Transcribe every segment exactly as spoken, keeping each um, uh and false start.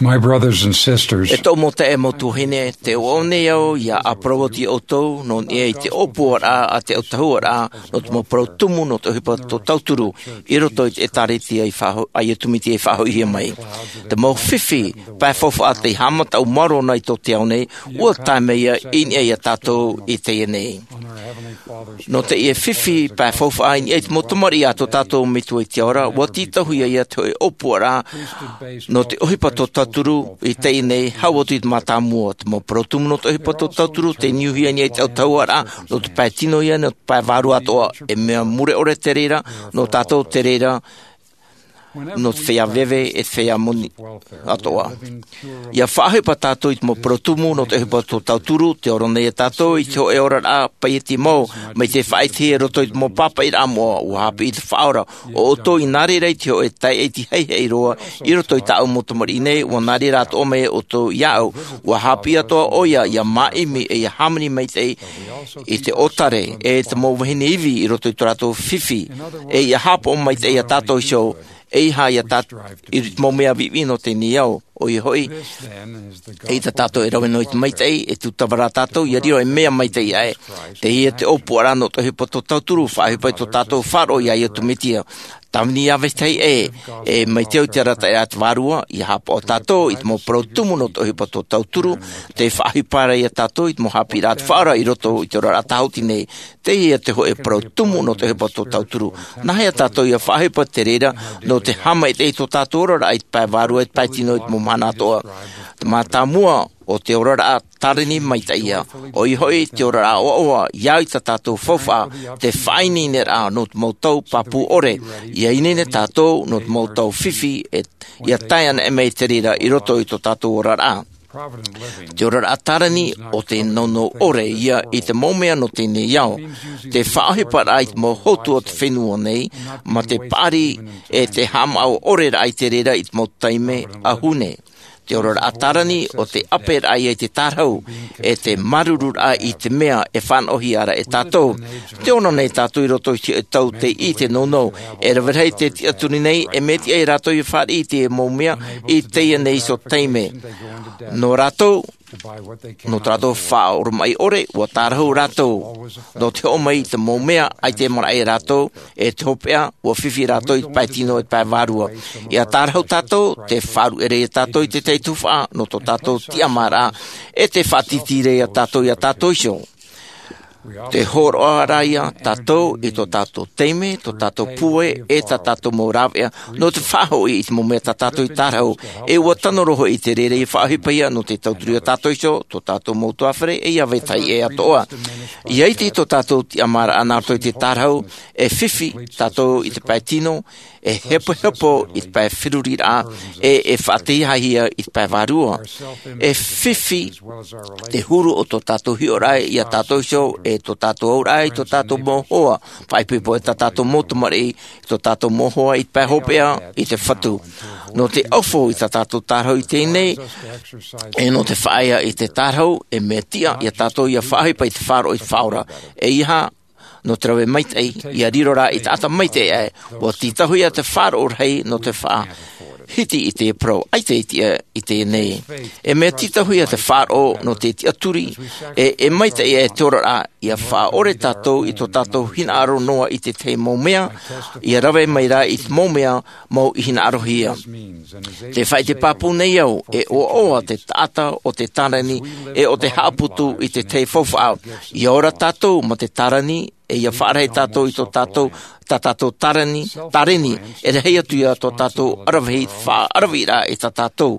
My brothers and sisters, E tōʻu mau taeaʻe, mau tuahine, tē ʻoaʻoa nei au ʻia ʻāparau atu iā ʻoutou nō niʻa i te ʻōpuaraʻa a te autahuʻaraʻa nō te mau parau tumu nō te ʻohipa tō tauturu i roto i te ʻĒtārētia i faʻaho-, a Iesu Mesia i faʻahoʻihia mai. Te mau fifi pae faufaʻa tei haʻamata ʻau maoro nei i tō te ao nei, ʻua tae mai ia i niʻa iā tātou i teie nei. Nō teie fifi pae faufaʻa i niʻa i te mau tamariʻi a tō tātou Metua i te ao ra, ʻua tītauhia ia te hōʻē ʻōpuaraʻa nō te ʻohipa tō tauturu i teie nei, hau atu i te mātāmua. Te mau parau tumu nō te ʻohipa tō tauturu tei niuhia i niʻa i te autahuʻaraʻa nō te pae tino ia, nō te pae vārua atoʻa. E mea mure ʻore te reira nō tātou, te reira nō te feiā veve e te feiā moni atoʻa. ʻIa faʻaʻohipa tātou i te mau parau tumu nō te ʻohipa tō tauturu, tē ora nei tātou i te hōʻē oraraʻa paʻiti mau, mai te faʻaʻitehia i roto i te mau pāpaʻiraʻa moʻa, ʻua haʻapiʻi te Faʻaora. ʻO ʻoutou i nā reira i te hōʻē taeaʻe haʻihaʻi roa i roto i tāʻu mau tamariʻi nei, ʻua nā reira atoʻa mai ʻoutou iāʻu. ʻUa haʻapiʻi atoʻa ʻoia ʻia māʻimi e ʻia hāmani maitaʻi i te ʻōtare e te mau vahine ivi i roto i tō rātou fifi, e ʻia haʻapaʻo maitaʻi iā tātou iho, ʻeiaha iā tā-, i te mau mea viʻiviʻi nō teie nei ao. ʻOia hoʻi, eʻita tātou e rave noa i te maitaʻi, e tūtava rā tātou ʻia riro ei mea maitaʻi aʻe. Teie te ʻōpuaraʻa nō te ʻohipa tō tauturu, faʻaʻohipa i tō tātou faʻaroʻo iā Iesu Mesia. Tāvini ʻia vetahi ʻē, e mai te au i te arataʻiraʻa a te Vārua, ʻia haʻapaʻo tātou i te mau parau tumu nō te ʻohipa tō tauturu, tē faʻaʻohipa ra iā tātou i te mau haʻapiʻiraʻa a te Faʻaora i roto i te oraraʻa tāhuti nei. Teie te hōʻē parau tumu nō te ʻohipa tō tauturu. Nāhea tātou ʻia faʻaʻohipa te reira nō te haʻamaitaʻi i tō tātou oraraʻa i te pae vārua, i te pae tino, i te mau mahana atoʻa? Te mātāmua, ʻo te oraraʻa tārani maitaʻi ïa. ʻOia hoʻi, te oraraʻa ʻoaʻoa, ʻia au i tā tātou faufaʻa, te faʻaineineraʻa nō te mau tau pāpū ʻore, ʻia ineine tātou nō te mau tau fifi, e, ʻia tae anaʻe mai te reira i roto i tō tātou oraraʻa. Te oraraʻa tārani, ʻo te nounou ʻore ïa i te mau mea nō teie nei ao. Te faʻaʻohiparaʻa i te mau hotu o te fenua nei, mā te paʻari e te haʻamāʻoʻoreraʻa i te reira i te mau taime ʻahune. Te oraraʻa tārani, ʻo te ʻāperaʻa ïa i te tārahu, e te māuruururaʻa i te mea e fānaʻohia ra e tātou. Tē ora nei tātou i roto i te tau tei ʻite nounou, e rave rahi te tiʻaturi nei, e mea tiʻa ia rātou ʻia fāriʻi i te mau mea i teie nei iho taime. Nō rātou, nō tā rātou faʻaoromaʻi ʻore, ʻua tārahu rātou. Nō te hoʻo mai i te mau mea, ʻaita e maraʻa ia rātou, e te hopeʻa, ʻua fifi rātou i te pae tino, e te pae vārua. ʻIa tārahu tātou, te faʻaruʻe ra ia tātou i te tahi tuhaʻa, nō tō tātou tiʻamāraʻa, e te faʻatītīraʻa ia tātou, ia tātou iho. Te hōroʻa ra ia tātou i tō tātou taime, tō tātou pūai, e tā tātou mau rāveʻa, nō te faʻahoʻi i te mau mea tā tātou i tārahu, e ʻua tano roa hoʻi i te reira ʻia faʻaʻohipa ïa nō te tauturu ia tātou iho, tō tātou mau ʻutuāfare, e ʻia vetahi ʻē atoʻa. ʻIa ʻite i tō tātou tiʻamāraʻa nā roto i te tārahu, e fifi tātou i te pae tino, e hepohepo i te pae feruriraʻa, e, e faʻatītauhia i te pae vārua. E fifi te huru o tō tātou hiʻoraʻa ia tātou iho, e tō tātou auraʻa i tō tātou mau hoa, faʻaipoipo e tā tātou mau tamariʻi, i tō tātou mau hoa i te pae hopeʻa, i te fatu. Nō te ʻaufau i tā tātou tārahu i teie nei, e nō te faʻaea i te tārahu, e mea tiʻa ia tātou ʻia faʻaʻohipa i te faʻaroʻo i te Faʻaora. ʻEiaha, nō te rave maitaʻi, ʻia riro rā i te taʻata maitaʻi aʻe, ʻua tītauhia te faʻaroʻo rahi nō te faʻahiti i te parau, ʻaita e tiʻa i teie nei. E mea tītauhia te faʻaroʻo nō te tiʻaturi, e, e maitaʻi aʻe te oraraʻa, ʻia faʻaʻore tātou i tō tātou hinaʻaro noa i te tahi mau mea, ʻia rave mai rā i te mau mea, mau i hinaʻarohia. Te faʻaʻite pāpū nei au, e ʻoaʻoa te taʻata o te tārani, e o te haʻaputu i te tahi faufaʻa. ʻIa ora tātou mā te tārani, e ʻia faʻarahi tātou i tō tātou, tā tātou tārani, tārani, e rahi atu ïa tō tātou ʻaravihi, faʻaʻaravihi ra i tā tātou.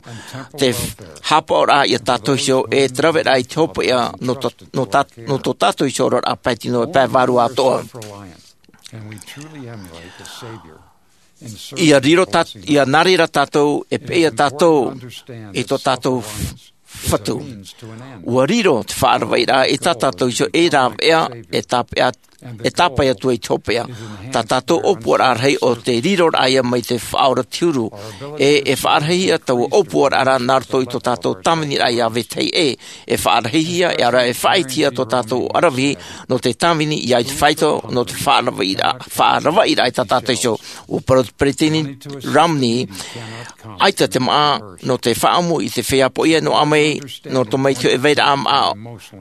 Te f-, haʻapaʻoraʻa ia tātou iho, e te raveraʻa i te hopeʻa, nō tō, nō tā, nō tō tātou iho oraraʻa pae tino, e pae vārua atoʻa. ʻIa riro tā-, ʻia nā reira tātou, e peʻe ia tātou, i tō tātou f-, fatu. ʻUa riro te faʻaravaʻiraʻa i tā tātou iho e rāveʻa, e tāpeʻa, e tāpae atu ai te hopeʻa. Tā tātou ʻōpuaraʻa rahi ʻo te riroraʻa ia mai te Faʻaora te Huru. E, e faʻarahihia taua ʻōpuaraʻa nā roto i tō tātou tāviniraʻa iā vetahi ʻē. E faʻarahihia, ʻaore rā e faʻaitehia tō tātou ʻaravihi nō te tāvini i ʻaita faito, nō te faʻaravaʻiraʻa, faʻaravaʻiraʻa i tā tātou iho. ʻUa parau te Peresideni Romney, ʻaita te māʻa nō te faʻaʻamu i te feiā poʻia e noaʻa mai, nō roto mai i te hōʻē vairaʻa māʻa,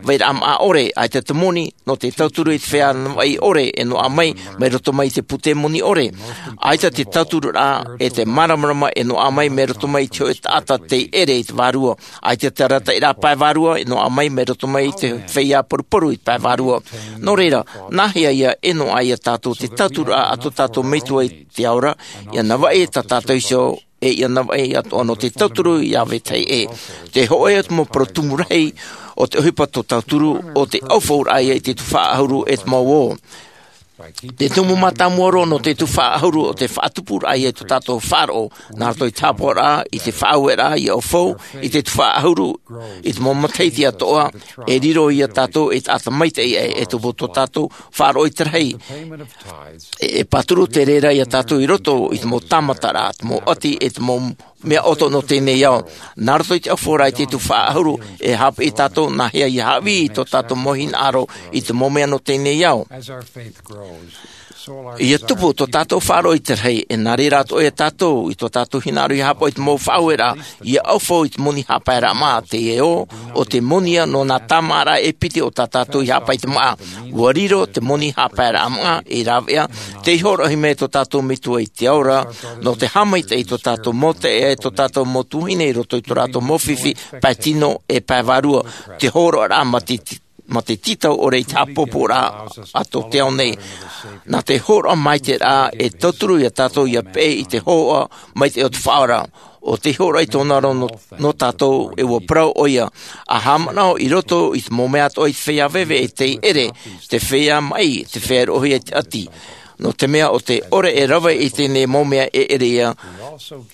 vairaʻa māʻa ʻore, ʻaita te moni nō te tauturu i te feiā navaʻi ʻore e noaʻa mai, mai roto mai i te pūtē moni ʻore. ʻAita te tautururaʻa e te māramarama e noaʻa mai, mai roto mai i te hōʻē taʻata tei ʻere i te vārua. ʻAita te arataʻiraʻa pae vārua e noaʻa mai, mai roto mai i te feiā paruparu i te pae vārua. Nō reira, nāhea ia e noaʻa ia tātou te tautururaʻa a tō tātou Metua i te ao ra, ʻia navaʻi tā tātou iho, e ʻia navaʻi atoʻa nō te tauturu iā vetahi ʻē. Te hōʻē o te mau parau tumu rahi o te ʻohipa tō tauturu, ʻo te ʻaufauraʻa ia i te tuhaʻa ʻahuru e te mau ō. Te tumu mātāmua roa nō te tuhaʻa ʻahuru ʻo te faʻatupuraʻa ia i tō tātou faʻaroʻo, nā roto i te haʻapaʻoraʻa, i te faʻaueraʻa, ʻia ʻaufau, i te tuhaʻa ʻahuru, i te mau matahiti atoʻa, e riro ia tātou ei taʻata maitaʻi ʻē, e tupu tō tātou faʻaroʻo i te rahi. E, e pāturu te reira ia tātou i roto i te mau tāmataraʻa, te mau ʻati, e te mau mea ʻoto nō teie nei ao. Nā roto i te ʻaufauraʻa i te tuhaʻa ʻahuru, e haʻapiʻi tātou nāhea ia haʻavī i tō tātou mau hinaʻaro i te mau mea nō teie nei ao. ʻIa tupu tō tātou faʻaroʻo i te rahi, e nā reira atoʻa ia tātou, i tō tātou hinaʻaro ʻia haʻapaʻo i te mau faʻaueraʻa, ʻia ʻaufau i te moni haʻapaeraʻa māʻa, teie ō, ʻo te moni ia nō nā tāmāʻaraʻa e piti o tā tātou ʻia haʻapaʻo i te māʻa. ʻUa riro te moni haʻapaeraʻa māʻa ei rāveʻa, tei hōroʻahia mai e tō tātou Metua i te ao ra, nō te haʻamaitaʻi i tō tātou mau taeaʻe, tō tātou mau tuahine i roto i tō rātou mau fifi, pae tino e pae vārua, te hōroʻaraʻa mā te, mā te tītau ʻore i te haʻapōpōraʻa a tō te ao nei. Nā te hōroʻa maitaʻiraʻa e tauturu ia tātou ʻia peʻe i te hōhoʻa maitaʻi o te Faʻaora. ʻO tei hōroʻa i tōna roa nō, nō tātou, e ʻua parau ʻoia, ʻa haʻamanaʻo i roto i te mau mea atoʻa i te feiā veve e tei ʻere, te feiā maʻi, te feiā roʻohia i te ʻati. Nō te mea ʻo te ʻore e rave i teie nei mau mea e ʻere ia,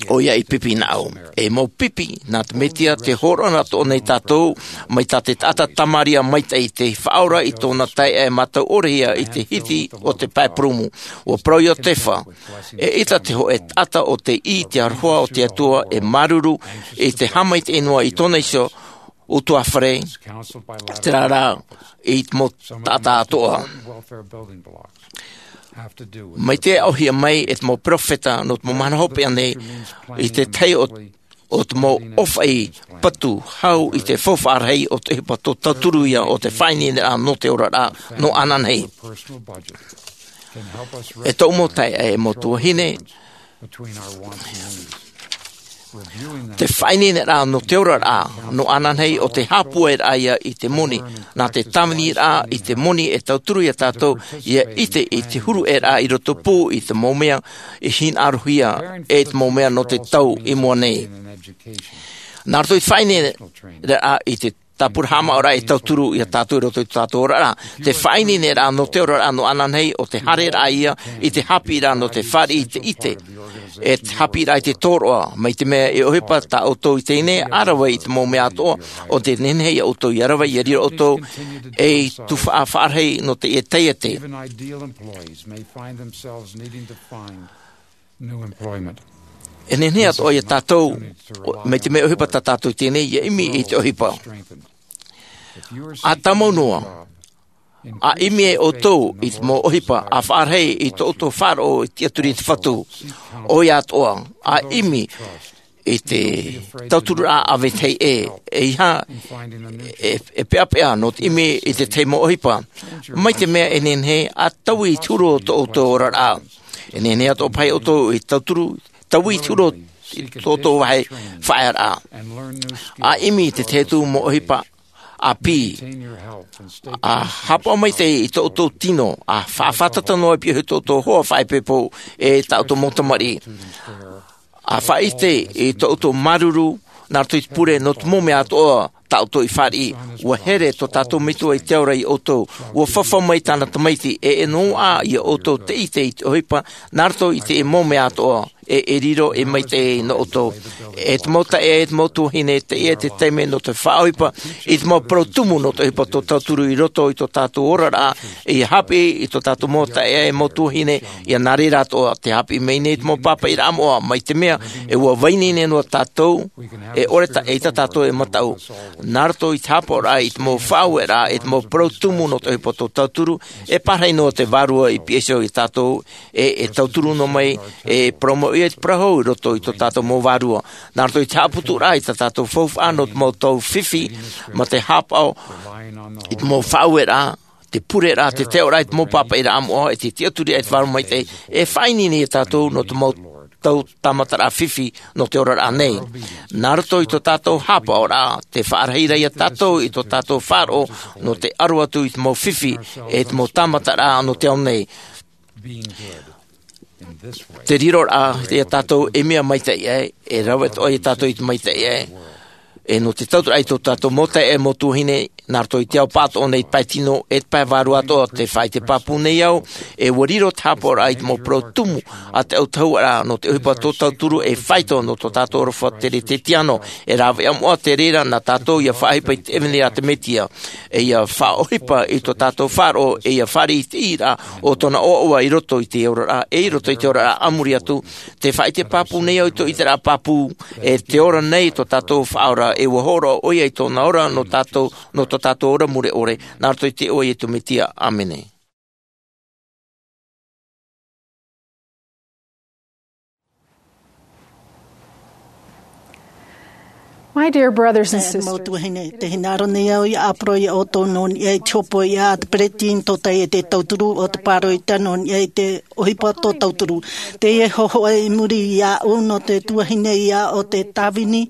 ʻoia i pipi nā ʻu. E mau pipi, nā te Metua te hōroʻa atoʻa nei tātou, mai tā te taʻata Tamaria maitaʻi tei faʻaora i tōna taeaʻe mātau ʻorehia i te hiti o te pae purūmu. ʻUa parau Iotefa, eʻita te hōʻē taʻata ʻo tei ʻī i te aroha o te Atua e māuruuru i te haʻamaitaʻi noa i tōna iho, ʻutuāfare, terā rā, i te mau taʻata atoʻa. Mai te aʻohia mai e te mau peropheta nō te mau mahana hopeʻa nei, i te tahi o, o te mau ʻōfaʻi patu hau i te faufaʻa rahi o te ʻohipa tō tauturu ia ʻo te faʻaineineraʻa nō te oraraʻa nō ananahi. E tōʻu mau taeaʻe, e mau tuahine, te faʻaineineraʻa nō te oraraʻa nō ananahi ʻo te haʻapūairaʻa ia i te moni. Nā te tāviniraʻa i te moni e tauturu ia tātou ʻia ʻite i te huruʻaraʻa i roto pū i te mau mea i hinaʻarohia e te mau mea nō te tau i mua nei. Nā roto i te faʻaineineraʻa i te tāpura haʻamaʻoraʻa e tauturu ia tātou i roto i tō tātou oraraʻa. Te faʻaineineraʻa nō te oraraʻa nō ananahi ʻo te haereraʻa ia i te haʻapiʻiraʻa nō te fāriʻi i te ʻite. E te haʻapiʻiraʻa i te tōroʻa, mai te mea e ʻohipa tā ʻoutou i teie nei, ʻa rave i te mau mea atoʻa, ʻo tē nehenehe ia ʻoutou ʻia rave, ʻia riro ʻoutou ei tuhaʻa faʻarahi nō teie taiete. E nehenehe atoʻa ia tātou, mai te mea ʻohipa tā tātou i teie nei, ʻia ʻimi i te ʻohipa. ʻA tāmau noa, ʻa ʻimi e ʻoutou i te mau ʻohipa, ʻa faʻarahi i tō ʻoutou faʻaroʻo i te tiʻaturi i te Fatu. ʻOia atoʻa, ʻa ʻimi i te tautururaʻa a vetahi ʻē, ʻeiaha e, e peʻapeʻa nō te ʻimi i te tahi mau ʻohipa. Mai te mea e nehenehe, ʻa taui i te huru o tō ʻoutou oraraʻa. E nehenehe atoʻa paʻi ʻoutou i tauturu, taui i te huru i tō ʻoutou vāhi faʻaearaʻa. ʻA ʻimi i te tahi atu mau ʻohipa ʻāpī. ʻA haʻapaʻo maitaʻi i tō ʻoutou tino, ʻa faʻafātata noa i piʻohi tō ʻoutou hoa faʻaipoipo e tā ʻoutou mau tamariʻi. ʻA faʻaʻite i tō ʻoutou māuruuru, nā roto i te pure nō te mau mea atoʻa tā ʻoutou i fāriʻi. ʻUa here tō tātou Metua i te ao ra ia ʻoutou. ʻUa fafau mai tāna Tamaiti, e, e noaʻa ia ʻoutou te ʻite i te ʻohipa, nā roto i te mau mea atoʻa, e e riro e maitaʻi nō ʻoutou. E te mau taeaʻe, e te mau tuahine, teie te taime nō te faʻaʻohipa i te mau parau tumu nō te ʻohipa tō tauturu i roto i tō tātou oraraʻa, ia haʻapiʻi i tō tātou mau taeaʻe, mau tuahine, ia nā reira atoʻa te haʻapiʻi mai nei te mau pāpaʻiraʻa moʻa, mai te mea e ua vai nei noa tātou, e ʻore ta-, ʻeita tātou e mataʻu. Nā roto i te haʻapaʻoraʻa i te mau faʻaueraʻa, i te mau parau tumu nō te ʻohipa tō tauturu, e pārahi noa te Vārua i pihaʻi iho ia tātou, e, e tauturu noa mai, e parau mai ʻoia i te parau hou i roto i tō tātou mau vārua. Nā roto i te haʻaputuraʻa i tā tātou faufaʻa nō te mau tau fifi, mā te haʻapaʻo i te mau faʻaueraʻa, te pureraʻa, te teoraʻa i te mau pāpaʻiraʻa moʻa, e te tiʻaturi i te Vārua Maitaʻi, e faʻaineine ia tātou nō te mau tau tāmataraʻa fifi nō te oraraʻa nei. Nā roto i tō tātou haʻapaʻoraʻa, tē faʻarahi ra ia tātou i tō tātou faʻaroʻo nō te aro atu i te mau fifi, e te mau tāmataraʻa nō te ao nei. Te riroraʻa ia tātou e mea maitaʻi aʻe, e rave atoʻa ia tātou i te maitaʻi aʻe. E nō te tauturu i tō tātou mau taeaʻe, mau tuahine, nā roto i te ao pāʻatoʻa nei, te pae tino, e te pae vārua atoʻa, tē faʻaʻite pāpū nei au, e ua riro te haʻapaʻoraʻa i te mau parau tumu a te autahuʻaraʻa nō te ʻohipa tō tauturu e faito nō tō tātou aroha tere Kerisiano, e rāveʻa moʻa te reira nā tātou ia faʻaʻohipa i te ʻevanelia a te Mesia, e ia faʻaʻohipa i tō tātou faʻaroʻo, e ia fāriʻi i te ʻīraʻa o tōna ʻoaʻoa i roto i te oraraʻa, e i roto i te oraraʻa a muri atu, tē faʻaʻite pāpū nei au i tō ʻiteraʻa pāpū, e te ora nei tō tātou Faʻaora, e ua hōroʻa ʻoia i tōna ora nō tātou, nō tō tātou ora mure ʻore, nā roto i te iʻoa o Iesu Mesia. ʻĀmene. My dear brothers and sisters, mau tuahine, tē hinaʻaro nei au ia ʻāparau ia ʻoutou nō niʻa i te hopoiʻa a te peretiteni tōtaiete tauturu o te pāroita nō niʻa i te ʻohipa tō tauturu. Teie hōhoʻa i muri iāʻu nō te tuahine ia ʻo Tēvita Vini,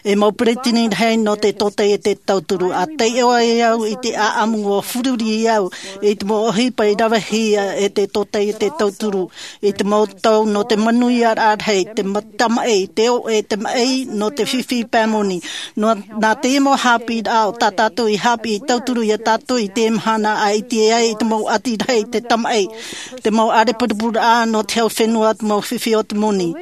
e mau peretiteni rahi nō te tōtaiete tauturu. ʻA taiʻo ai au i te ʻāʻamu ʻua fururi au i te mau ʻohipa i ravehia e te tōtaiete tauturu i te mau tau nō te manuiaraʻa rahi, te ma-, tamaʻi, te ʻoʻe, te maʻi nō te fifi pae moni. Nō, nā teie mau haʻapiʻiraʻa ʻo tā tātou i haʻapiʻi tauturu ia tātou i teie mahana, ʻa ʻite ai i te mau ʻati rahi, te tamaʻi, te mau ʻārepurepuraʻa nō te hau fenua, te mau fifi o te moni.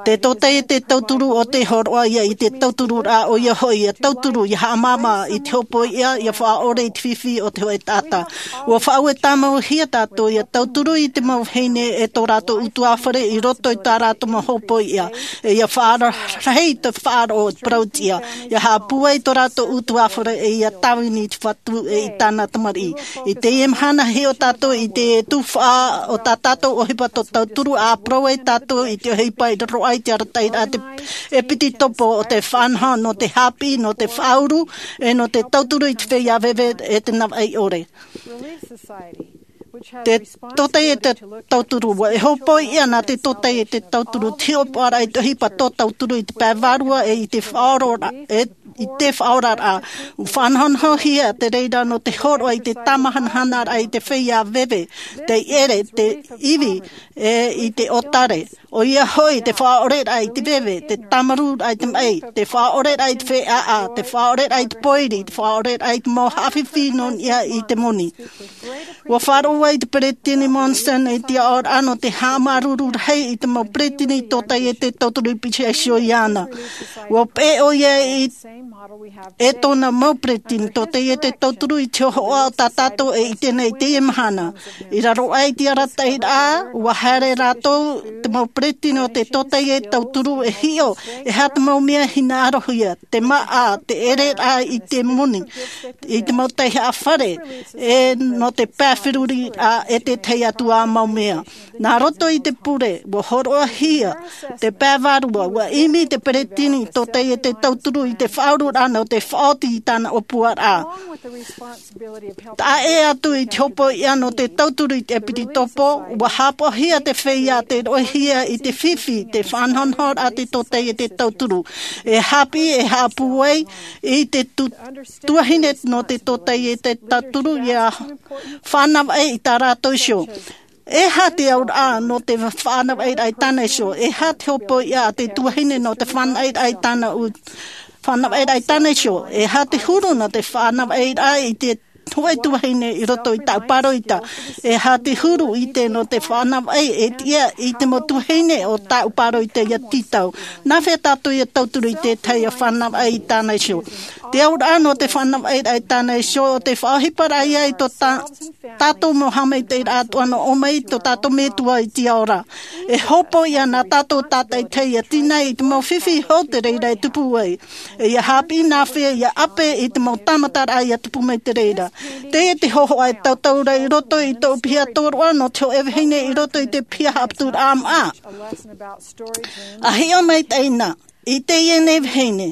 Te tōtaiete tauturu ʻo tē hōroʻa ia i te tautururaʻa, ʻoia hoʻi ia tauturu, ia haʻamāmā i te hopoiʻa, ia faʻaʻore i te fifi o te hōʻē taʻata. ʻUa faʻaue tāmauhia tātou ia tauturu i te mau vahine e tō rātou ʻutuāfare i roto i tā rātou mau hopoiʻa, e ia faʻarahi te faʻaroʻo i te parau tiʻa, ia haʻapūai tō rātou ʻutuāfare, e ia tāvini i te Fatu e i tāna tamariʻi. I teie mahana, hiʻo tātou i te tuhaʻa o tā tātou ʻohipa tō tauturu, ʻa parau ai tātou i te ʻohipa i raro aʻe i te arataʻiraʻa a te ʻEpitopo o te faʻanaho nō te haʻapiʻi, nō te faʻauru, e nō te tauturu i te feiā veve e te navaʻi ʻore. Te tōtaiete tauturu, ʻua hopoiʻa nā te tōtaiete tauturu te hiʻopoʻaraʻa i te ʻohipa tō tauturu i te pae vārua e i te faʻaoraraʻa, e i te faʻaoraraʻa. ʻUa faʻanahonahohia te reira nō te hōroʻa i te tāmahanahanaraʻa i te feiā veve, te ʻere, te ivi, e i te ʻōtare. ʻOia hoʻi te faʻaʻoreraʻa i te veve, te tāmarūraʻa i te maʻi, te faʻaʻoreraʻa i te feiā ʻāʻā, te faʻaʻoreraʻa i te pōiri, te faʻaʻoreraʻa i te mau haʻafifi nō niʻa i te moni. ʻUa faʻaroʻo ai te Peretiteni Monson i te aʻoraʻa nō te haʻamāuruuru rahi i te mau peretiteni tōtaiete tauturu i pīhaʻi iho iāna. ʻUa peʻe ʻoia i e tōna mau peretiteni tōtaiete tauturu i te hōhoʻa o tā tātou e ʻite nei i teie mahana. I raro aʻe i te arataʻiraʻa, ʻua haere rātou, te mau peretiteni o te tōtaiete tauturu, e hiʻo, e aha te mau mea hinaʻarohia, te māʻa, te ʻereraʻa i te moni, i te mau taihaʻa fare, e nō te pae feruriraʻa, e te tahi atu ā mau mea. Nā roto i te pure, ʻua hōroʻahia te pae vārua, ʻua ʻimi te peretiteni tōtaiete tauturu i te faʻaururaʻa nō te faʻaoti i tāna ʻōpuaraʻa. Taʻa ʻē atu i te hopoiʻa nō te tauturu i te ʻEpitopo, ʻua haʻapaʻohia te feiā, tē roʻohia i te fifi, te faʻanahonahoraʻa te tōtaiete tauturu. E haʻapiʻi, e haʻapūai i te tu-, tuahine nō te tōtaiete tauturu, ʻia faʻanahonahoraʻa i tā rātou iho. E aha te auraʻa nō te faʻanahonahoraʻa i tāna iho? E aha te hopoiʻa a te tuahine nō te faʻanahonahoraʻa i tāna u-, faʻanahonahoraʻa i tāna iho? E aha te huru nō te faʻanahonahoraʻa i te hōʻē tuahine i roto i tāʻu pāroita. E aha te huru ʻite nō te fānavaʻi e tiʻa i te mau tuahine o tāʻu pāroita ia tītau? Nā hea tātou ia tauturu i te tahi ia fānavaʻi i tāna iho? Te auraʻa nō te fānavaʻi i tāna iho, ʻo te faʻaʻohiparaʻa ia i tō tā-, tātou mau haʻamaitaʻiraʻa atoʻa nō ʻō mai tō tātou Metua i te ao ra. E hōpoiʻa nā tātou tātaʻitahi ia tīnai i te mau fifi hou te reira e tupu ai. E ia haʻapiʻi nā hea ia ʻape i te mau tāmataraʻa ia tupu mai te reira. Teie te hōhoʻa e tautau ra i roto i tōʻu piha tōroʻa nō te hōʻē vahine i roto i te piha haʻaputuraʻa maʻa. A hiʻo maitaʻi na, i teie nei vahine,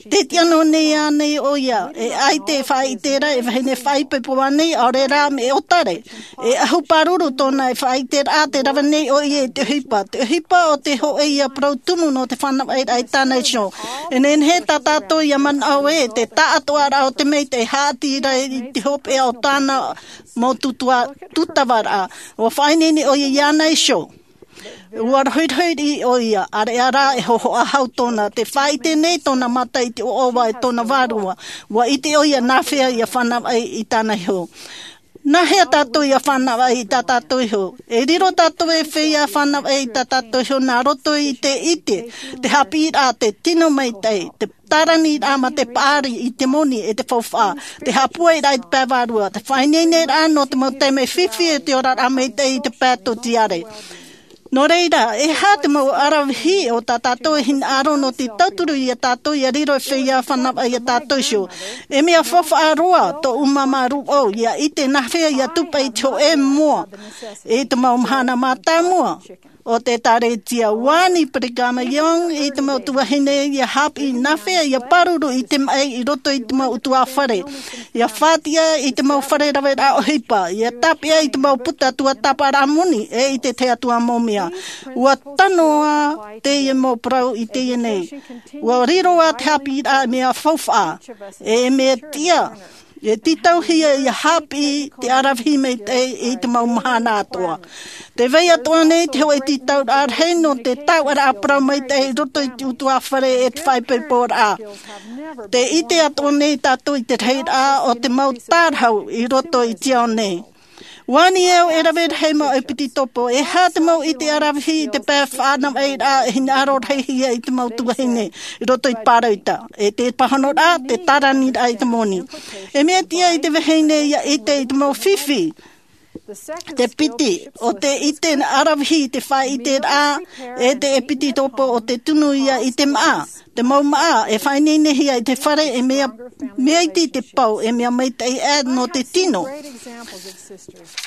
tē tiʻa noa nei ānei ʻoia, e ʻaita e faʻaʻite ra e vahine faʻaipoipo ānei, ʻaore rā mea ʻōtare? E ʻahu pāruru tōna e faʻaʻite ra, tē rave nei ʻoia i te ʻohipa. Te ʻohipa ʻo te hōʻē ia parau tumu nō te fānavaʻi i tāna iho. E nehenehe tā tātou ia manaʻo ē, te taʻatoʻaraʻa o te maitaʻi e haʻati ra i te hopeʻa o tāna mau tūtua-, tūtavaraʻa. ʻUa faʻaineine ʻoia iāna iho. ʻUa rohirohi ʻoia, ʻāreʻa rā e hōhoʻa hau tōna. Tē faʻaʻite nei tōna mata i te ʻoaʻoa e tōna vārua. ʻUa ʻite ʻoia nā hea ia fānavaʻi i tāna iho. Nā hea tātou ia fānavaʻi i tā tātou iho? E riro tātou e feiā fānavaʻi i tā tātou iho nā roto i te ʻite, te haʻapiʻiraʻa, te tino maitaʻi, te tāraniraʻa mā te paʻari i te moni e te faufaʻa, te haʻapūairaʻa i te pae vārua, te faʻaineineraʻa nō te mau taime fifi e te oraraʻa maitaʻi i te pae tōtiare. Nō reira, e aha te mau ʻaravihi o tā tātou e hinaʻaro nō te tauturu ia tātou ia riro e feiā fānavaʻi ia tātou iho? E mea faufaʻa roa tōʻu māmā rūʻau ia ʻite nā hea ia tupa i te hōʻē moa i te mau mahana mātāmua o te ʻĒkālesia. ʻUa ani Brigham Young i te mau tuahine ia haʻapiʻi nā hea ia pāruru i te maʻi i roto i te mau ʻutuāfare, ia faʻatiʻa i te mau fare raveraʻa ʻohipa, ia tāpeʻa i te mau puta tuatāpaparaʻa moni, e i te tahi atu mau mea. ʻUa tano ā teie mau parau i teie nei. ʻUa riro ā te haʻapiʻiraʻa e mea faufaʻa, e mea tiʻa, e tītauhia ia haʻapiʻi te ʻaravihi maitaʻi i te mau mahana atoʻa. Tē vai atoʻa nei te hōʻē tītauraʻa rahi nō te taoʻaraʻa parau maitaʻi i roto i te ʻutuāfare e te faʻaipoiporaʻa. Tē ʻite atoʻa nei tātou i te rahiraʻa o te mau tārahu i roto i te ao nei. ʻUa ani au e rave rahi mau ʻepitopo, e aha te mau ʻite ʻaravihi i te pae fānavaʻiraʻa e hinaʻaro rahi hia i te mau tuahine i roto i te pāroita, e te pāhonoraʻa, te tāraniraʻa i te moni. E mea tiʻa i te vahine ia ʻite i te mau fifi. Te piti, ʻo te ʻite ʻaravihi i te faʻaʻiteraʻa, e te ʻepitopo ʻo te tunu ia i te maʻa. Te mau maʻa e faʻaineinehia i te fare, e mea, mea iti te pau, e mea maitaʻi ā nō te tino.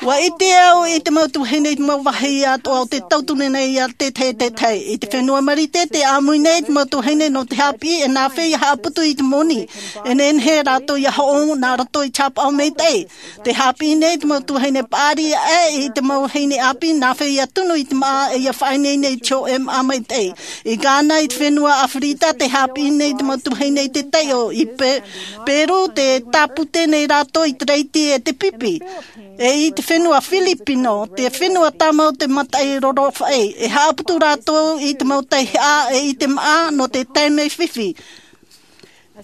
ʻUa ʻite au i te mau tuahine i te mau vāhi atoʻa o te tauturu nei ia te tahi e te tahi. I te fenua Marite, tē ʻāmui nei te mau tuahine nō te haʻapiʻi e nā hea ia haʻaputu i te moni. E nehenehe rātou ia hoʻo nā roto i te haʻapaʻo maitaʻi. Tē haʻapiʻi nei te mau tuahine paʻari ʻē i te mau vahine ʻāpī nā hea ia tunu i te maʻa e ia faʻaineine i te hōʻē maʻa maitaʻi. I Ghana, i te fenua Aferika, tē haʻapiʻi nei te mau tuahine i te taiʻo. I Pe-, Peru, tē tāpute nei rātou i te reiti e te pipi. E i te fenua Filipino, te fenua tāmau te mataʻi rorofaʻi, e haʻaputu rātou i te mau taihaʻa e i te maʻa nō te taime fifi.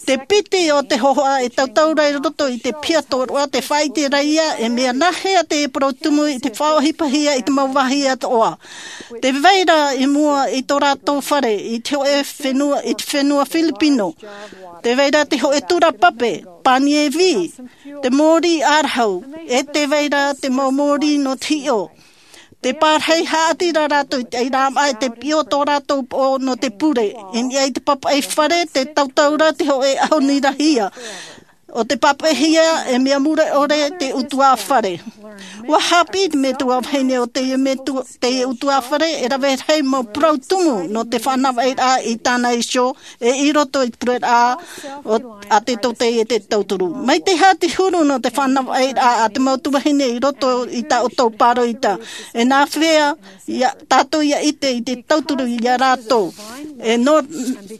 Te piti o te hōhoʻa e tautau ra i roto i te piha tōroʻa, tē faʻaʻite ra ia e mea nā hea te parau tumu i te faʻaʻohipahia i te mau vāhi atoʻa. Tē vai ra i mua i tō rātou fare i te hōʻē fenua, i te fenua Filipino. Tē vai ra te hōʻē tura pape, pānievī, te mōrī ʻārahu, e tē vai ra te mau mōrī nō te hiʻo. Tē pārahi haʻati ra rātou i te ʻairāmaʻa e tē piʻo tō rātou poʻo nō te pure. I niʻa i te papaʻi fare, tē tautau ra te hōʻē ʻahu nirahia. ʻO te papaʻihia e mea mure ʻore te ʻutuāfare. ʻUa haʻapiʻi te metua vahine o teie metua, teie ʻutuāfare e rave rahi mau parau tumu nō te fānavaʻiraʻa i tāna iho, e i roto i te pureraʻa o, a te tōtaiete tauturu. Mai te aha te huru nō te fānavaʻiraʻa a te mau tuahine i roto i tā ʻoutou pāroita? E nā hea ia tātou ia ʻite i te tauturu ia rātou? E nō,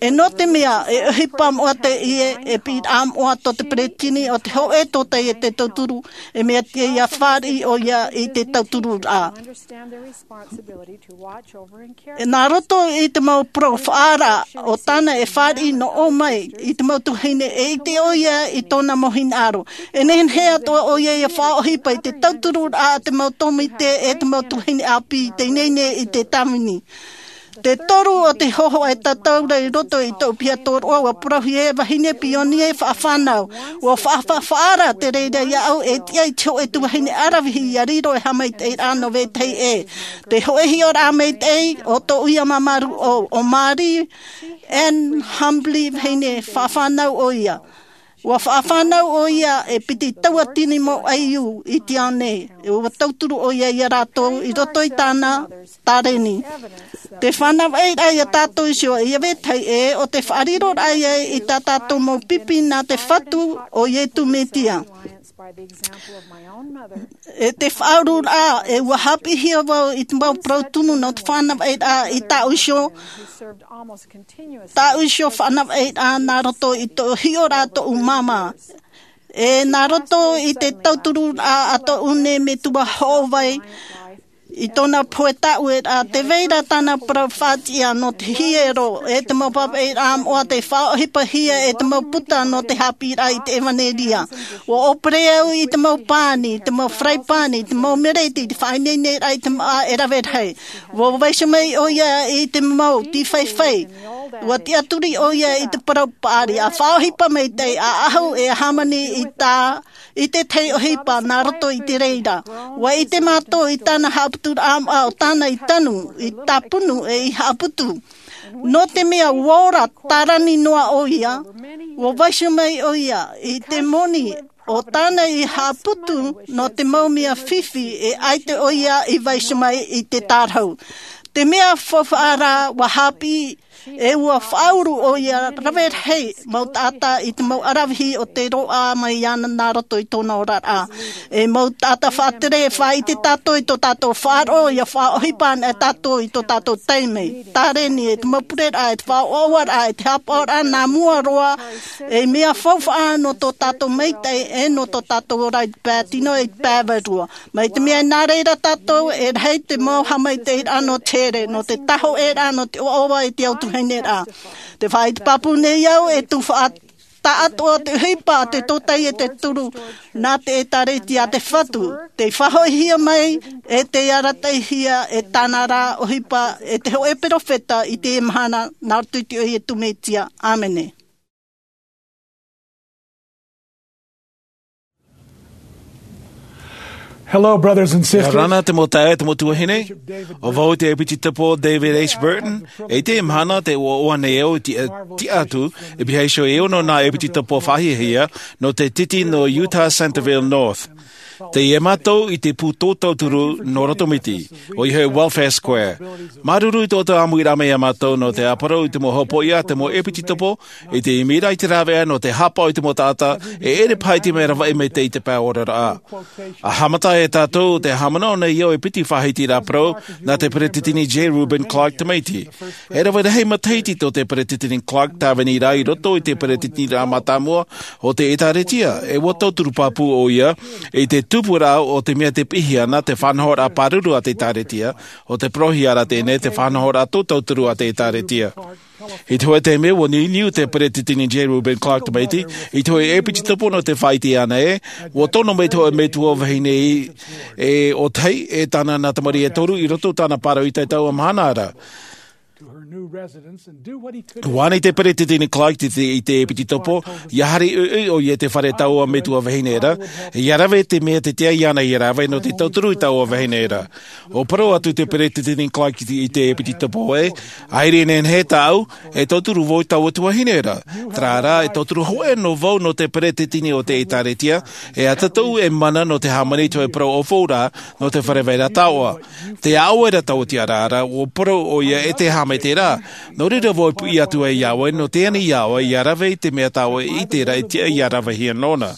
e nō te mea e ʻohipa moʻa teie, e piʻiraʻa moʻa tō te tini o te hoʻe tōtai e te tauturu, e mea tiʻa ia fāriʻi ʻoia i te tauturu rā. Nā roto i te mau parau faʻaara o tāna e fāriʻi noʻo mai i te mau tuahine e ʻite ʻoia i tōna mau hinaʻaro. E nehenehe atoʻa ʻoia ia faʻaʻohipa i te tauturu rā a te mau tōmite e te mau tuahine ʻāpī i te ineine i te tāvini. Te toru o te hōhoʻa e tatau ra i roto i tōʻu piha tōroʻa, ua parauhia e vahine pionie faʻafānau. Ua faʻafaʻaara te reira iāʻu e tiʻa i te hoʻe tuahine aravihi ia riro e haʻamaitaʻi rā nō vetahi ʻē. Te hoʻe hiʻoraʻa maitaʻi o tōʻu ia māmā rūʻau, o Marie Ann Humbly, vahine faʻafānau ʻoia. Ua faʻafānau ʻoia e piti tauatini mau ʻaiū i te ao nei. E ua tauturu ʻoia ia rātou i roto i tāna tāreni. Te fānavaʻiraʻa ia tātou iho, ia vetahi ʻē, o te faʻariroraʻa ia i tā tātou mau pipi nā te Fatu o Iesu Mesia. E te faʻaururaʻa, e ua haʻapiʻihia vau i te mau parau tumu nō te fānavaʻiraʻa i tāʻu iho, tāʻu iho fānavaʻiraʻa nā roto i tō hiʻoraʻa tōʻu māmā. E nā roto i te tautururaʻa a tōʻu nei metua hoʻovai i tōna pohe tāʻueraʻa, tē vai ra tāna parau faʻatiʻa nō te hiero, e te mau pāpaʻiraʻa moʻa tei faʻaʻohipahia e te mau puta nō te haʻapiʻiraʻa i te ʻevanelia. Ua ʻōpere au i te mau pani, te mau faraipani, te mau mereti, te faʻaineineraʻa i te māʻa e rave rahi. Ua vaiiho mai ʻoia i te mau tīfaifai. Ua tiʻaturi ʻoia i te parau paʻari, ʻa faʻaʻohipa maitaʻi, ʻa ʻahu e hāmani i tā, i te tahi ʻohipa nā roto i te reira. Ua ʻite mātou i tāna haʻaputuraʻa moʻa, ʻo tāna i tanu, i tāpunu e i haʻaputu. Nō te mea ua ora tārani noa ʻoia, ua vaiiho mai ʻoia i te moni o tāna i haʻaputu nō te mau mea fifi, e ʻaita ʻoia i vaiiho mai i te tārahu. Te mea faufaʻa rā, ua haʻapiʻi, e ua faʻauru ʻoia rave rahi mau taʻata i te mau aravihi o te roaʻa mai iāna nā roto i tōna oraraʻa. E mau taʻata faʻatere, e faʻaʻite tātou i tō tātou faʻaroʻo, ia faʻaʻohipa anaʻe tātou i tō tātou taime, tāreni, e te mau pureraʻa, e te faʻaʻoaʻoaraʻa, e te haʻapaʻoraʻa nā mua roa, e mea faufaʻa nō tō tātou maitaʻi, e nō tō tātou ora i te pae tino, i te pae vārua. Mai te mea nā reira tātou, e rahi te mau haʻamaitaʻiraʻa nō te here, nō te tāhōʻēraʻa, nō te ʻoaʻoa i te au tuahineraʻa. Tē faʻaʻite pāpū nei au, e tufaʻa taʻatoʻa te ʻohipa, te tōtai e te turu, nā te ʻĒtārētia a te Fatu. Tei faʻahoʻihia mai, e tei arataʻihia e tāna ra ʻohipa, e te hōʻē perofeta i teie mahana, nā roto i te iʻoa o Iesu Mesia. ʻĀmene. Hello, brothers and sisters. Ia ora na te mau taeaʻe, te mau tuahine. ʻO vau te ʻEpititopo David H. Burton, e i teie mahana tē ʻoaʻoa nei au i te tiʻa atu, e pihaʻi iho e ono nā ʻEpititopo faʻahiahia, nō te titi nō Utah Centerville North. Teie mātou i te pū tōtauturu nō Rotomiti, ʻoia hoʻi Welfare Square. Māuruuru i tō ʻoutou ʻāmuiraʻa mai iā mātou nō te ʻāparau i te mau hopoiʻa a te mau ʻEpititopo, i te ʻimiraʻa i te rāveʻa nō te haʻapaʻo i te mau taʻata, e ʻere paha i te mea ravaʻi mai te, i te pae oraraʻa. ʻA haʻamata e tātou te haʻamanaʻo nei au e piti faʻahitiraʻa parau nā te Peresideni J. Reuben Clark Tamaiti. E rave rahi matahiti tō te Peresideni Clark tāvini ra i roto i te peresideniʻa mātāmua o te ʻĒtārētia, e ua tauturu pāpū ʻoia i te tupuraʻa o te mea tē piʻihia ana, te faʻanahoraʻa pāruru a te ʻĒtārētia, ʻo te parauhia ra teie nei te faʻanahoraʻa tōtauturu a te ʻĒtārētia. I te hōʻē taime, ua niuniu te Peresideni J. Reuben Clark Tamaiti i te hōʻē ʻEpititopo nō te faʻaʻite anaʻe, ua tono mai te hōʻē metua vahine e, e ʻōtahi, e tāna nā tamariʻi e toru i roto i tāna parau i te taua mahana ra. Ua ani te Peresideni Clark i te, i te ʻEpititopo, ʻia haere ʻoiʻoi ʻoia i te fare taua metua vahine ra, ʻia rave te mea tē tiʻa iāna ʻia rave nō te tauturu i taua vahine ra. ʻUa parau atu te Peresideni Clark i te, i te ʻEpititopo ē, ʻaita e nehenehe tāʻu e tauturu vau i taua tuahine ra. Terā rā, e tauturu hōʻē noa vau nō te Peresideni o te ʻĒtārētia, e ʻatatou e mana nō te hāmani i te hōʻē parau ʻaufau ra, nō te fare vaira taoʻa. Tē ʻaʻau ra taua tiʻaraʻa ra, ʻua parau ʻoia e te haʻamaitaʻiraʻa. Nō reira vau e piʻi atu ai iā ʻoe, nō te ani iā ʻoe ʻia rave i te mea tā ʻoe e ʻite ra e tiʻa ʻia ravehia nōna.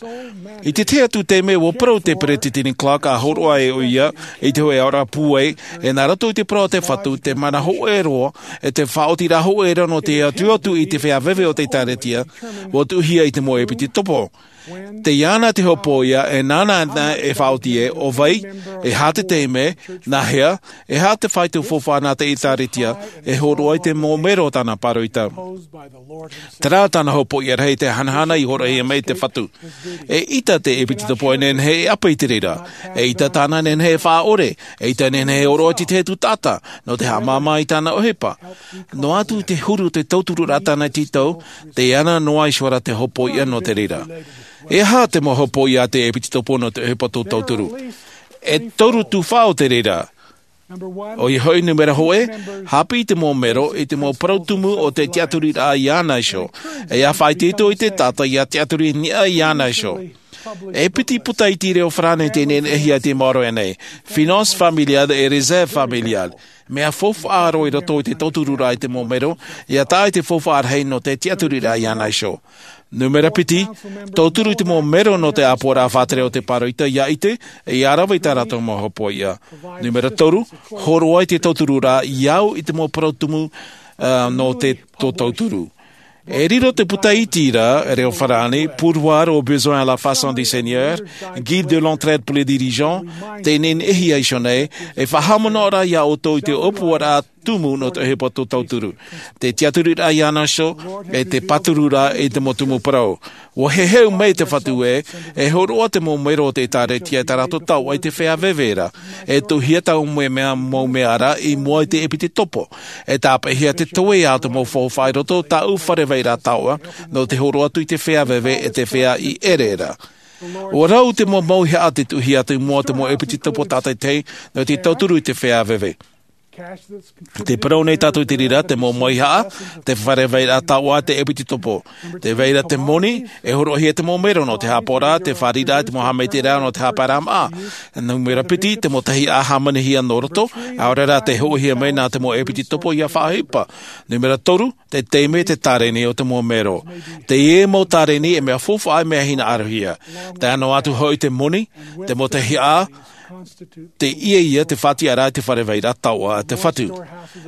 I te tahi atu taime, ua parau te peresideni Clark, ʻa hōroʻa ai ʻoia i te hōʻē aʻoraʻa pūai, ʻe nā roto i te parau a te Fatu, te mana hōʻē roa, ʻe te faʻaotiraʻa hōʻē roa nō te atu atu i te feiā veve o te ʻĒkālesia, ua tuʻuhia i te mau ʻepitopo. Tei iāna te hopoiʻa, ʻe nāna e faʻaoti ē, ʻo vai, e aha te taime, nā hea, e aha te faito faufaʻa nā te ʻĒkālesia, e hōroʻa i te mau mero o tāna pāroita. Terā tāna hopoiʻa rahi, te hanahana i hōroʻahia mai e te Fatu. E ʻita te ʻepitopo e nehenehe e ʻape i te reira. E ʻita tāna e nehenehe e faʻaʻore. E ʻita e nehenehe e hōroʻa i te tahi atu taʻata, nō te haʻamāmā i tāna ʻohipa. Noa atu te huru o te tauturuʻraʻa tāna i tītau, tei iāna noa iho ra te hopoiʻa nō te reira. E aha te mau hopoiʻa a te ʻepitopo nō te ʻohipa tō tauturu? E toru tuhaʻa o te reira. ʻOia hoʻi, nūmera hōʻē, haʻapiʻi te mau mero i te mau parau tumu o te tiʻaturiraʻa iāna iho, ʻe ʻia faʻaitoito i te taʻata ʻia tiʻaturi i niʻa iāna iho. E piti puta iti reo farāni tei nehenehe e te maoro nei, finance familiale ʻe réserve familiale. Mea faufaʻa roa i roto i te tauturuʻraʻa i te mau mero, ʻia tae i te faufaʻa rahi nō te tiʻaturiraʻa iāna iho. Nūmera piti, tauturu i te mau mero nō te ʻāpoʻoraʻa faʻatere o te pāroita ʻia ʻite, ʻe ʻia rave i tā rātou mau hopoiʻa. Nūmera toru, hōroʻa i te tauturuʻraʻa ʻia au i te mau parau tumu, ā, nō te, tō tauturu. E riro te puta iti ra, reo farāni, Pourvoir aux besoins à la façon du Seigneur, Guide de l'entraide pour les dirigeants, tei nehenehe e hia iho nei, e faʻahaʻamanaʻo ra iā ʻoutou i te ʻōpuaraʻa tumu nō te ʻohipa tō tauturu. Te tiʻaturiraʻa iāna iho, ʻe te pāturuʻraʻa i te mau tumu parau. Ua heheu mai te Fatu ē, e hōroʻa te mau mero o te ʻĒkālesia i tā rātou taoʻa i te feiā veve ra, e tuʻuhia taua mau mea, mau mea ra i mua i te ʻepitopo. E tāpeʻahia te toeʻa o te mau faufaʻa i roto i tāʻu fare vairaʻa taoʻa, nō te hōroʻa atu i te feiā veve ʻe te feiā i ʻere ra. Ua rau te mau mauhaʻa tei tuʻuhia atu i mua i te mau ʻepitopo tātaʻitahi, nō te tauturu i te feiā veve. Tē parau nei tātou i te reira, te mau mauhaʻa, te fare vairaʻa taoʻa, te ʻepitopo. Tē vai ra te moni, e hōroʻahia te mau mero nō te haʻapaʻoraʻa, te fāriʻiraʻa, te mau haʻamaitaʻiraʻa nō te haʻapaeraʻa māʻa. Nūmera piti, te mau tahiʻa hāmanihia nō roto, ʻaore rā tē hoʻihia mai nā te mau ʻepitopo ʻia faʻaʻohipa. Nūmera toru, te taime, te tāreni o te mau mero. Teie mau tāreni e mea faufaʻa, e mea hinaʻarohia. Tae noa atu hoʻi te moni, te mau tahiʻa, teie ia te faʻatiʻaraʻa i te fare vairaʻa taoʻa a te Fatu.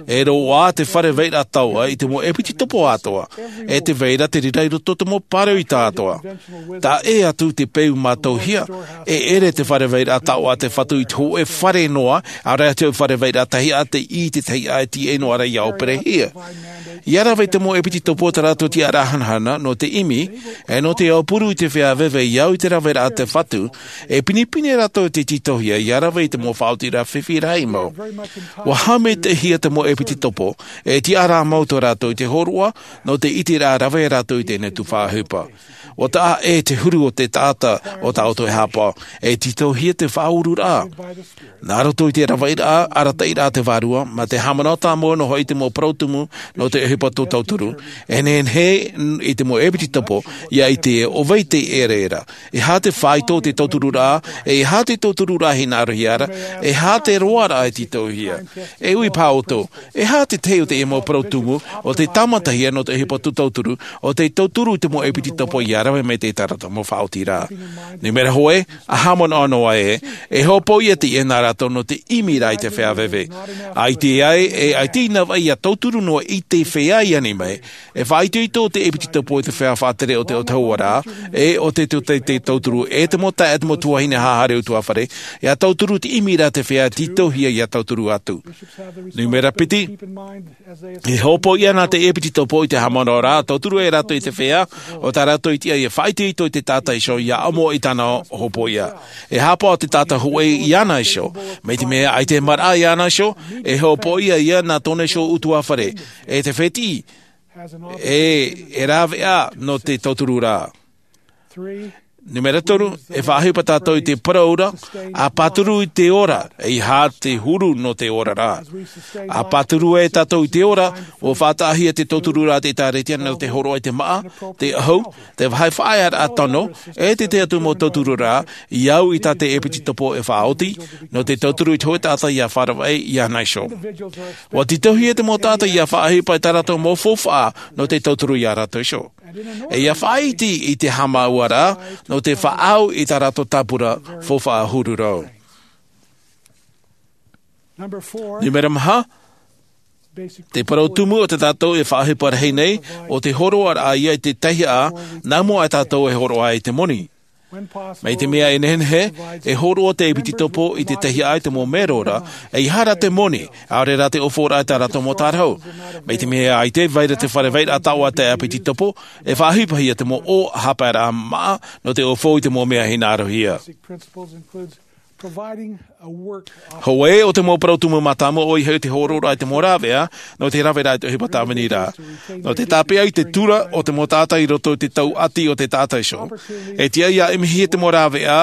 E roaʻa te fare vairaʻa taoʻa i te mau ʻepitopo atoʻa, ʻe tē vai ra te reira i roto i te mau pāroita atoʻa. Taʻa ʻē atu te peu mātauhia, e ʻere te fare vairaʻa taoʻa a te Fatu i te hōʻē fare noa, ʻaore rā te fare vairaʻa tahiʻa, teie te tahiʻa e tīaʻi noa ra ʻia ʻoperahia. ʻIa rave te mau ʻepitopo i tā rātou tiʻaraʻa hanahana, nō te ʻimi, ʻe nō te aupuru i te feiā veve ʻia au i te raveraʻa a te Fatu, e pinepine rātou i te tītauhia, ʻia rave i te mau faʻaotiraʻa fifi rahi mau. Ua haʻamaitaʻihia te mau ʻepitopo, e tiʻaraʻa mau tō rātou i te hōroʻa, nō te ʻiteraʻa rave rātou i teie tuhaʻa ʻohipa. Ua taʻa ʻē te huru o te taʻata o tā ʻoutou e haʻapaʻo, e tītauhia te faʻaururaʻa. Nā roto i te raveraʻa, arataʻiraʻa a te Vārua, mā te haʻamanaʻo tāmau noa hoʻi i te mau parau tumu nō te ʻohipa tō tauturu, e nehenehe i te mau ʻepitopo ʻia ʻite ē ʻo vai tei ʻere ra. E aha te faito o te tauturuʻraʻa, e aha te tauturuʻraʻa hinaʻarohia ra, e aha te roaraʻa e tītauhia. E ui paha ʻoutou, e aha te tahi o teie mau parau tumu o tē tāmatahia nō te ʻohipa tō tauturu, ʻo tē tauturu i te mau ʻepitopo ʻia rave mai i tā rātou mau faʻaotiraʻa. Nūmera hōʻē, ʻa haʻamanaʻo noa ē, e hopoiʻa teie nā rātou nō te ʻimiraʻa i te feiā veve. ʻAita ai, e ʻaita i nā vai ʻia tauturu noa i te feiā i ani mai, e faʻaitoito te ʻepitopo i te feiā faʻatere o te autahuʻaraʻa, ʻe ʻo tē, tō te, tē tauturu, e te mau taeaʻe, te mau tuahine haʻahaere ʻutuāfare, ʻia tauturu i te ʻimiraʻa a te feiā tītauhia ʻia tauturu atu. Nūmera piti, e hopoiʻa nā te ʻepitopo i te haʻamanaʻoraʻa tauturu e rātou i te feiā, ʻo tā rātou i tiʻa ʻia faʻaitoito i te taʻata iho ʻia ʻamo i tāna hopoiʻa. E haʻapaʻo te taʻata hōʻē iāna iho, mai te mea ʻaita e maraʻa iāna iho, e hopoiʻa ʻoia nā tōna iho ʻutuāfare, e te fētiʻi, e, e rāveʻa nō te tauturuʻraʻa. Nūmera toru, e faʻaʻohipa tātou i te parau ra, ʻa pāturu i te ora, e aha te huru nō te ora ra. ʻA pāturu ai tātou i te ora, ʻua faʻataʻahia te tauturuʻraʻa a te ʻĒkālesia nō te hōroʻa i te māʻa, te ʻahu, te vāhi faʻaearaʻa tano, e te tahi atu mau tauturuʻraʻa, ʻia au i tā te ʻepitopo e faʻaoti, nō te tauturu i te hōʻē taʻata ʻia faʻaravaʻi iāna iho. ʻUa tītauhia te mau taʻata ʻia faʻaʻohipa i tā rātou mau faufaʻa nō te tauturu iā rātou iho. E ʻia faʻaʻite i te haʻamāuʻaraʻa, nō o te faʻaau i tā rātou tāpura faufaʻa huru rau. Numera maha, te parau tumu o tā tātou e faʻaʻohipa rahi nei, o te hōroʻaraʻa ia i te teiaha, nā mua ai tātou e hōroʻa i te moni. Mai te mea e nehenehe, e hōroʻa te ʻepitetopo i te teiaha i te mau mero ra, ʻeiaha rā te moni, ʻaore rā te ʻōfaʻoraʻa i tā rātou mau tārahu. Mai te mea ʻaita e vai ra te fare vairaʻa taoʻa a te ʻepitetopo, e faʻaʻohipahia te mau ʻō haʻapaeraʻa māʻa, nō te ʻōfau i te mau mea hinaʻarohia. Hōʻē o te mau parau tumu mātāmua ʻoia hoʻi te hōroʻaraʻa i te mau rāveʻa, nō te rāveʻa i te ʻohipa tāviniraʻa. Nō te tāpeʻa i te tura o te mau taʻata i roto i te tau ʻati o te taʻata iho. E tiʻa ia ʻimihia te mau rāveʻa,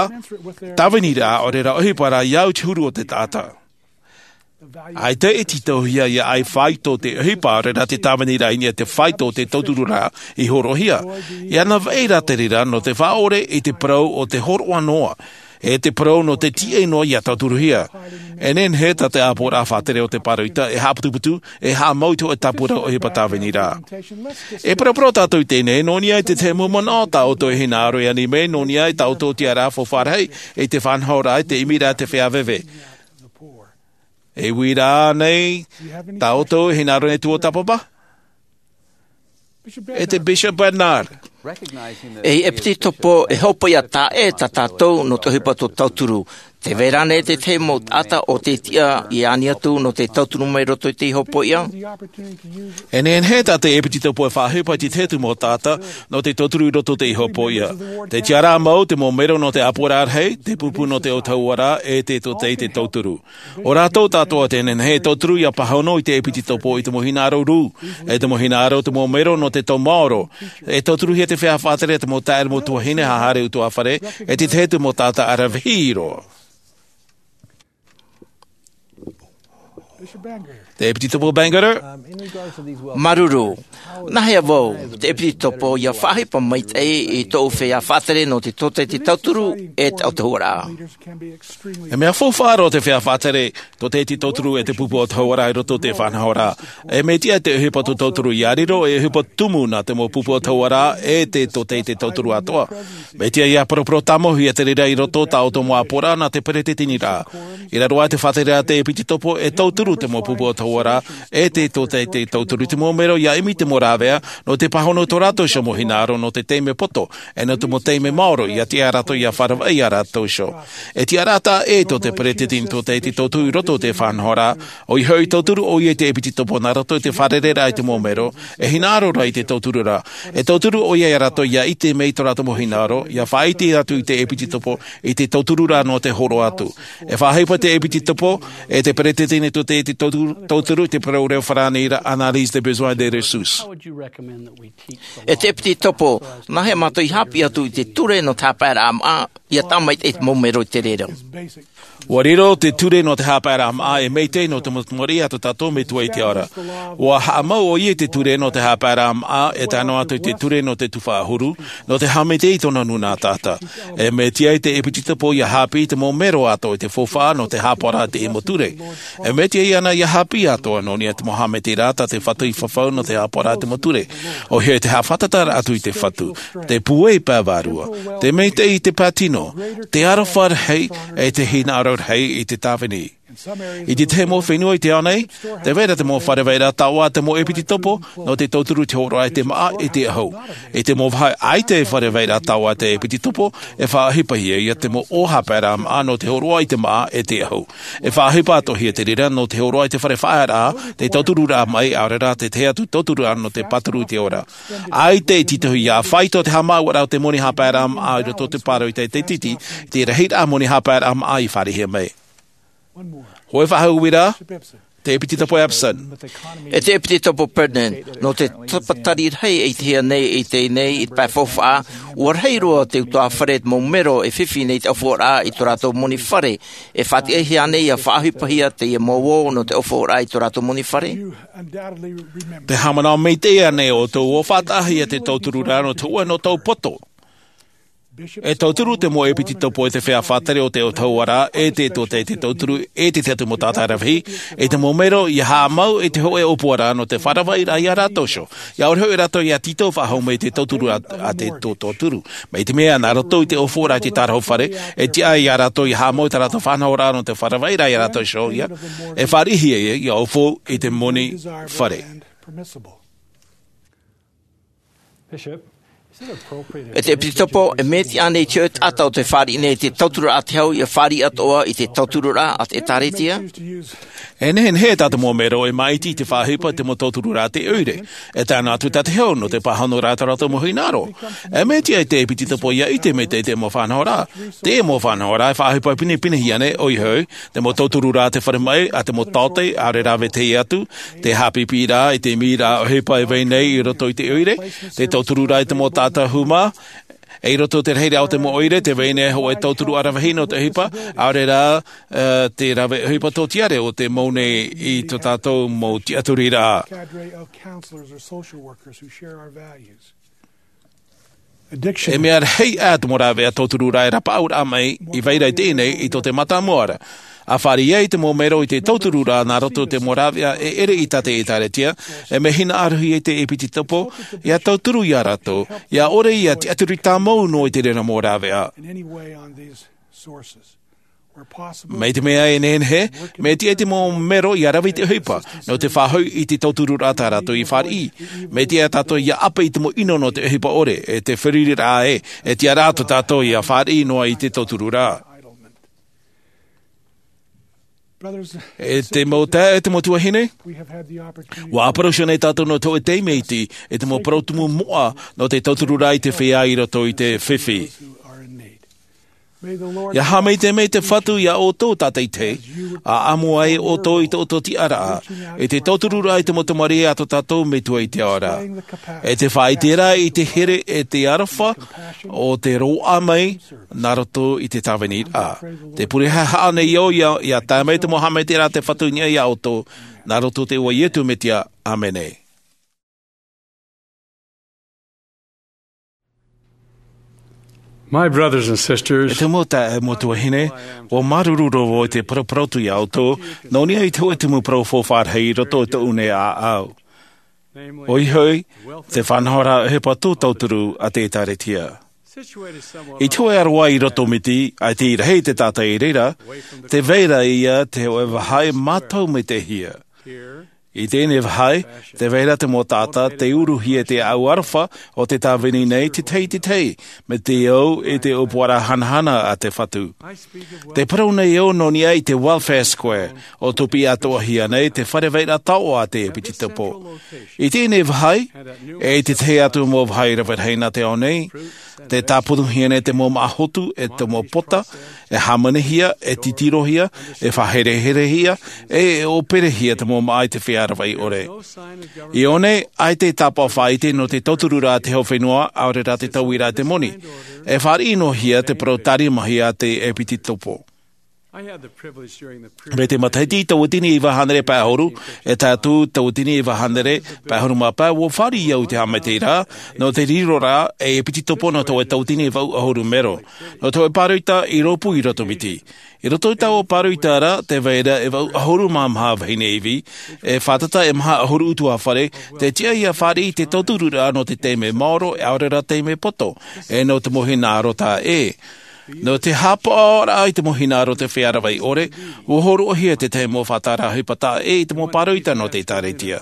tāviniraʻa, ʻaore rā ʻohipa rā i au i te huru o te taʻata. ʻAita e tītauhia ia ʻai faito te ʻohipa, ʻaore rā te tāviniraʻa i niʻa i te faito o te tautururaʻa i hōroʻahia. E ana vai ra te reira nō te faʻaʻore i te parau o te hōroʻa noa, e te parau nō te tīaʻi noa ia tauturuhia. E nehenehe tā te ʻāpoʻoraʻa faʻatere o te pāroita e haʻaputuputu, e haʻamau i te hōʻē tāpura ʻohipa tāviniraʻa. E paraparau tātou i teie nei, nō niʻa i te tahi mau manaʻo tā ʻoutou e hinaʻaro e ani mai, nō niʻa i tā ʻoutou tiʻaraʻa faufaʻa rahi, i te faʻanahoraʻa, i te ʻimiraʻa, te feiā veve. E uiraʻa nei tā ʻoutou e hinaʻaro nei tuatāpapa? E te Bishop Bednar. Ei ʻepitetopo e hopoiʻa taʻa ʻē tā tātou nō te ʻohipa tō tauturu. Tē vai ra ānei te tahi mau taʻata ʻo tē tiʻa ia ani atu nō te tauturu mai roto i te hopoiʻa? E nehenehe tā te ʻepitetopo e faʻaʻohipa i te tahi atu mau taʻata nō te tauturu i roto i te hopoiʻa. Te tiʻaraʻa mau, te mau mero nō te ʻāpoʻoraʻa rahi, te pupu nō te autahuʻaraʻa, e te tōtaiete tauturu. ʻO rātou tātou atoʻa e nehenehe e tauturu ia pāhono i te ʻepitetopo i te mau hinaʻaro rū, e te mau hinaʻaro te mau mero nō te tau maoro. E tauturuhia te feiā faʻatere, te mau taeaʻe, mau tuahine, haʻahaere utuafare, e te tahi atu mau taʻata ʻaravihi roa. Te ʻepitetopo Bangerter. Māuruuru. Nāhea vau te ʻepitetopo ia faʻaʻohipa maitaʻi i tōʻu feiā faʻatere nō te tōtaiete tauturu e te autahuʻaraʻa? E mea faufaʻa roa te feiā faʻatere, tōtaiete tauturu e te pupu autahuʻaraʻa i roto i te faʻanahoraʻa. E mea tiʻa te ʻohipa tō tauturu ia riro ei ʻohipa tumu nā te mau pupu autahuʻaraʻa e te tōtaiete tauturu atoʻa. Mea tiʻa ia paraparau tāmau hia te reira i roto i tā ʻoutou mau ʻāpoʻoraʻa nā te peresideni ra. I raro aʻe i te faʻatere a te ʻepitetopo e tauturu te mau pupu autahuʻaraʻa e te tōtaiete tauturu i te mau mero ia ʻimi te mau rāveʻa nō te pāhono i tō rātou iho mau hinaʻaro nō te taime poto, e nō te mau taime maoro ia tiʻa rātou ia faʻaravaʻi ia rātou iho. E tiʻaraʻa taʻa ʻē tō te peresideni tōtaiete tauturu i roto i te faʻanahoraʻa, ʻoia hoʻi e tauturu ʻoia i te ʻepitetopo nā roto i te fārereiraʻa i te mau mero, e hinaʻaro ra i te tauturu ra. E tauturu ʻoia ia rātou ia ʻite mai i tō rātou mau hinaʻaro, ia faʻaʻite atu i te ʻepitetopo i te tautururaʻa nō te hōroʻa atu. E faʻaʻohipa te ʻepitetopo e te peresideni tōtaiete tauturu, tauturu i te parau reo farāni ra, analyse des besoins et des ressources. E te ʻepitetopo, nāhea mātou i haʻapiʻi atu i te ture nō te haʻapaeraʻa māʻa, ia tāmaitaʻi te mau mero i te reira? ʻUa riro te ture nō te haʻapaeraʻa māʻa e maitaʻi nō te mau tamariʻi a tō tātou Metua i te ao ra. ʻUa haʻamau ʻoia i te ture nō te haʻapaeraʻa māʻa e tae noa atu i te ture nō te tuhaʻa huru, nō te haʻamaitaʻi i tōna nūnaʻa taʻata. E mea tiʻa te ʻepitetopo ia haʻapiʻi i te mau mero atoʻa i te faufaʻa nō te haʻapaʻoraʻa i te mau ture. E mea tiʻa iāna ia haʻapiʻi atoʻa nō niʻa i te mau haʻamaitaʻiraʻa tā te Fatu i fafau nō te haʻapaʻoraʻa i te mau ture. ʻOia hoʻi te haʻafātataraʻa atu i te Fatu, te pūai pae vārua, te maitaʻi i te pae tino, te aroha rahi, e te hinaʻaro rahi i te tāvini. I te tahi mau fenua i te ao nei, tē vai ra te mau fare vairaʻa taoʻa a te mau ʻepitetopo nō te tauturu i te hōroʻa i te māʻa e te ʻahu. I te mau vāhi ʻaita e fare vairaʻa taoʻa a te ʻepitetopo, e faʻaʻohipahia ia te mau ʻō haʻapaeraʻa māʻa nō te hōroʻa i te māʻa e te ʻahu. E faʻaʻohipa atoʻa hia te reira nō te hōroʻa i te fare faʻaearaʻa, te tautururaʻa maʻi, ʻaore rā te tahi atu tautururaʻa nō te pāturu i te ora. ʻAita e tītauhia faito te haʻamāuʻaraʻa o te moni haʻapaeraʻa māʻa i roto i te pāroita i te tītī, i te rahiraʻa moni haʻapaeraʻa māʻa i fāriʻihia mai. Hōʻē faʻahou uiraʻa, te ʻepitetopo Epson. E te ʻepitetopo Brennan, nō te tāpatari rahi e ʻitehia nei i teie nei i te pae faufaʻa, ʻua rahi roa te utuāfare mau mero e fifi nei te ʻōfaʻoraʻa i tō rātou moni fare, e faʻatiʻahia nei ia faʻaʻohipahia teie mau ʻō nō te ʻōfaʻoraʻa i tō rātou moni fare? Te haʻamanaʻo maitaʻi ānei ʻoutou ʻua faʻataʻahia te tautururaʻa nō te hōʻē noa tau poto? E tauturu te mau ʻēpititopo e te feiā faʻatere o te ʻautahuʻaraʻa, e te tōtaiete tauturu, e te tiʻaturi mau taʻata ravehi, e te mau mero ia haʻamau i te hōʻē ʻōpuaraʻa nō te faʻaravaʻiraʻa ia rātou iho. Ia ʻore hoʻi rātou ia tītau faʻahou mai i te tauturu a, a te tō tauturu. Mai te mea nā roto i te ʻōpuaraʻa i te tārahu fare, e tiʻa ia rātou ia haʻamau i tā rātou faʻanahoraʻa nō te faʻaravaʻiraʻa ia rātou iho ia, e fāriʻihia ia, ia ʻōpua i te moni fare. E te ʻēpititopo, e mea tiʻa ānei te hōʻē taʻata o te fāriʻi nei i te tautururaʻa a te hau ia fāriʻi atoʻa i te tautururaʻa a te ʻĒkālesia? E nehenehe tā te mau mero e māʻiti i te faʻaʻohipa i te mau tautururaʻa a te ʻoire. E tae noa atu tā te hau nō te pāhonoraʻa i tō rātou mau hinaʻaro. E mea tiʻa i te ʻēpititopo ia ʻite mai te, te mau faʻanahoraʻa. Te mau faʻanahoraʻa e faʻaʻohipa pinepinehia nei, ʻoia hoʻi, te mau tautururaʻa a te fare maʻi, a te mau taote, ʻaore rā vetahi atu, te haʻapiʻiraʻa i te mīraʻa ʻohipa e vai nei i roto i te ʻoire, te tautururaʻa i te mau taʻata hūmā, e i roto i te rahiraʻa o te mau ʻoire, tē vai nei hōʻē tauturuʻa ravehi nō te ʻohipa, ʻaore rā, e, te rave ʻohipa tōtiare o tē mau nei i tō tātou mau tiʻaturiraʻa. E mea rahi ā te mau rāveʻa tautururaʻa e rapaʻauraʻa mai i vai ra i teie nei i tō te mātāmua ra. ʻA fāriʻi ai te mau mero i te tautururaʻa nā roto i te mau rāveʻa e ʻere i tā te ʻĒkālesia, e mea hinaʻarohia i te ʻēpititopo, ia tauturu ia rātou, ia ʻore ia tiʻaturi tāmau noa i te reira mau rāveʻa. Mai te mea e nehenehe, mea tiʻa i te mau mero ia rave i te ʻohipa, nō te faʻahoʻi i te tautururaʻa tā rātou i fāriʻi. Mea tiʻa tātou ia ʻape i te mau ʻino nō te ʻohipa ʻore, e te feruriraʻa ē, e tiʻa rā tō tātou ia fāriʻi noa i te tautururaʻa. E te mau taeaʻe, e te mau tuahine, ʻua ʻāparau iho nei tātou nō te hōʻē taime iti, e te mau parau tumu moʻa nō te tautururaʻa i te feiā i roto i te fifi. Ia haʻamaitaʻi mai te Fatu ia ʻoutou tātaʻitahi, ʻa ʻamu ai ʻoutou i tō ʻoutou tiʻaraʻa, i te tautururaʻa i te mau tamariʻi a tō tātou Metua i te ao ra. E te faʻaʻiteraʻa i te here e te aroha, o te roaʻa mai, nā roto i te tāviniraʻa. Te pure haʻehaʻa nei au ia, ia tae mai te mau haʻamaitaʻiraʻa a te Fatu i niʻa ia ʻoutou, nā roto i te iʻoa o Ietu Metia. ʻĀmene. My brothers and sisters, e te mau taeaʻe, e mau tuahine, ʻua māuruuru roa vau i te paraparau atu ia ʻoutou, nō niʻa i te hōʻē tumu parau faufaʻa rahi i roto i tōʻu nei ʻāʻau. ʻOia hoʻi, te faʻanahoraʻa ʻohipa tō tauturu a te ʻĒkālesia. I te hōʻē aroā i roto miti, ʻaita i rahi te taʻata i reira, tē vai ra ia te hōʻē vāhi mātau maitaʻihia. I teie nei vāhi, tē vai ra te mau taʻata, tei uruhia i te ʻāʻau aroha o te tāvini nei, te tahi, te tahi, mai te au i te ʻōpuaraʻa hanahana a te Fatu. Tē parau nei au nō niʻa i te Welfare Square, ʻo tōpiʻi atoʻahia nei te fare vairaʻa taoʻa a te ʻEpitetopo. I teie nei vāhi, e i te tahi atu mau vāhi rave rahi nā te ao nei, tē tāponohia nei te mau māʻa hotu, e te mau pota, e hāmanihia, e titirohia, e faʻahereherehia, e ʻōperehia te mau māʻa i te feiā ravaʻi ʻore. I ʻō nei, ʻaita e tāpaʻo faʻaʻite nō te tautururaʻa a te hau fenua, ʻaore rā te tauiraʻa i te moni. E fāriʻi noa hia te parau tārimahia a te ʻEpitetopo. Mai te matahiti tauatini iva hānere pae ʻahuru, e tae atu tauatini iva hānere pae ʻahuru mā pae, ʻua fāriʻi au i te haʻamaitaʻiraʻa, nō te riroraʻa, e ʻEpitetopo nō te hōʻē tauatini vaʻu ʻahuru mero. Nō te hōʻē pāroita i rōpū i roto miti. I roto i taua pāroita ra, tē vai ra e vaʻu ʻahuru mā maha vahine ivi, e fātata e maha ʻahuru ʻutuāfare, tē tiʻa ia fāriʻi i te tautururaʻa nō te taime maoro, e ʻaore rā taime poto, e nō te mau hinaʻaro taʻa ʻē. Nō te haʻapaʻoraʻa i te mau hinaʻaro o te feiā ravaʻi ʻore, ʻua hōroʻahia te tahi mau faʻatāraʻa ʻohipa taʻa ʻē i te mau pāroita nō te ʻĒtārētia.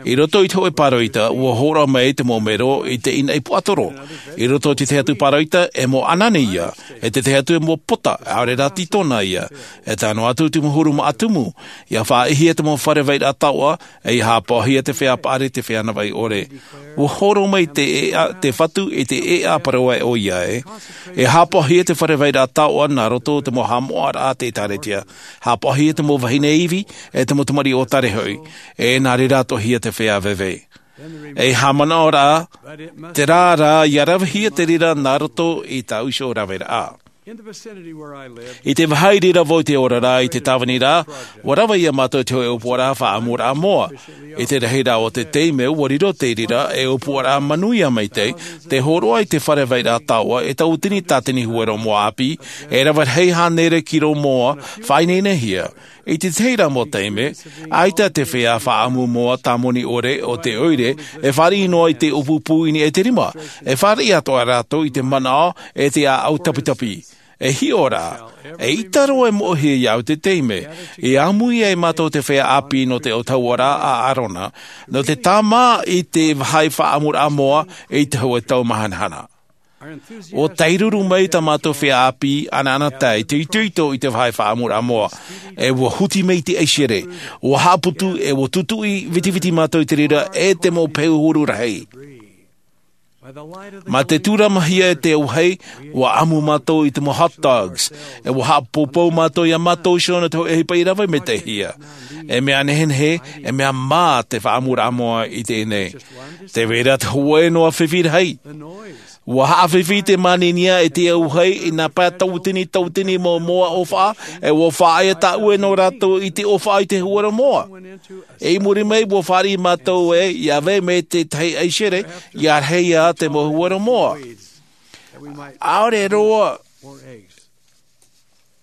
I roto i te hōʻē pāroita, ʻua hōroʻa mai te mau mero i te ʻīnaʻi puaʻatoro. I roto i te tahi atu pāroita, e mau ʻanane ia, e te tahi atu e mau pota, ʻaore rā tītona ia, e tae noa atu te mau huru māʻa tumu, ia faʻaʻitehia te mau fare vairaʻa taoʻa, e ia haʻapaʻohia te feiā paʻari, te feiā ravaʻi ʻore. ʻUa hōroʻa mai te ʻēʻa, te Fatu i te ʻēʻa parau ʻoia ē. E haʻapaʻohia te fare vairaʻa taoʻa nā roto i te mau haʻamoʻaraʻa a te ʻĒtārētia. Haʻapaʻohia te mau vahine ivi, e te mau tamariʻi ʻōtare hoʻi. E nā reira atoʻahia te feiā veve. E haʻamanaʻo rā, terā rā, ia ravehia te reira nā roto i tāʻu iho raveraʻa. I te vāhi i reira vau i te oraraʻa i te tāvini ra, ua rave ia mātou i te hoʻē ʻōpuaraʻa faʻaʻamuraʻa moa. I te rahiraʻa o te taime, ua riro te reira e ʻōpuaraʻa manuia maitaʻi, te hōroʻa i te fare vairaʻa taoʻa e tauatini tātini huero moa ʻāpī, e rave rahi hānere kiro moa faʻaineinehia. I te tahi ra mau taime, ʻaita te feiā faʻaʻamu moa tāmoni ʻore o te ʻoire e fāriʻi noa i te ʻōpū pūʻini e te rima, e fāriʻi atoʻa rātou i te manaʻo e te ʻāʻau tapitapi. E hiʻo rā, eʻita roa e moʻehia iāʻu te taime e ʻāmui ai mātou te feiā ʻāpī nō te ʻōtauaraʻa a ʻārona, nō te tāmā i te vāhi faʻaʻamuraʻa moa i te hoʻē tau māhanahana. Ua tairuru mai tā mātou feiā ʻāpī ʻanaʻanatae i te itoito i te vāhi faʻaʻamuraʻa moa, e ua huti mai i te ʻaisere, ua haʻaputu e ua tutuʻi vitiviti mātou i te reira e te mau peu huru rahi. Mā te tūramahia e te auahi, ua ʻamu mātou i te mau hot dogs, e ua haʻapoupou mātou iā mātou iho nō te hoʻē ʻohipa i rave maitaʻihia. E mea nehenehe, e mea mā te faʻaʻamuraʻa moa i teie nei. Tē vai ra te hōʻē noa fifi rahi. Ua haʻafifi te māninia e te auahi i nā pae tauatini tauatini mau moa ʻōfaʻa, e ua faʻaea tāʻue nō rātou i te ʻōfaʻa i te huero moa. I muri mai, ua fāriʻi mātou ē ia vai mai te tahi ʻaisere, ia rahi ia te mau huero moa. ʻAore roa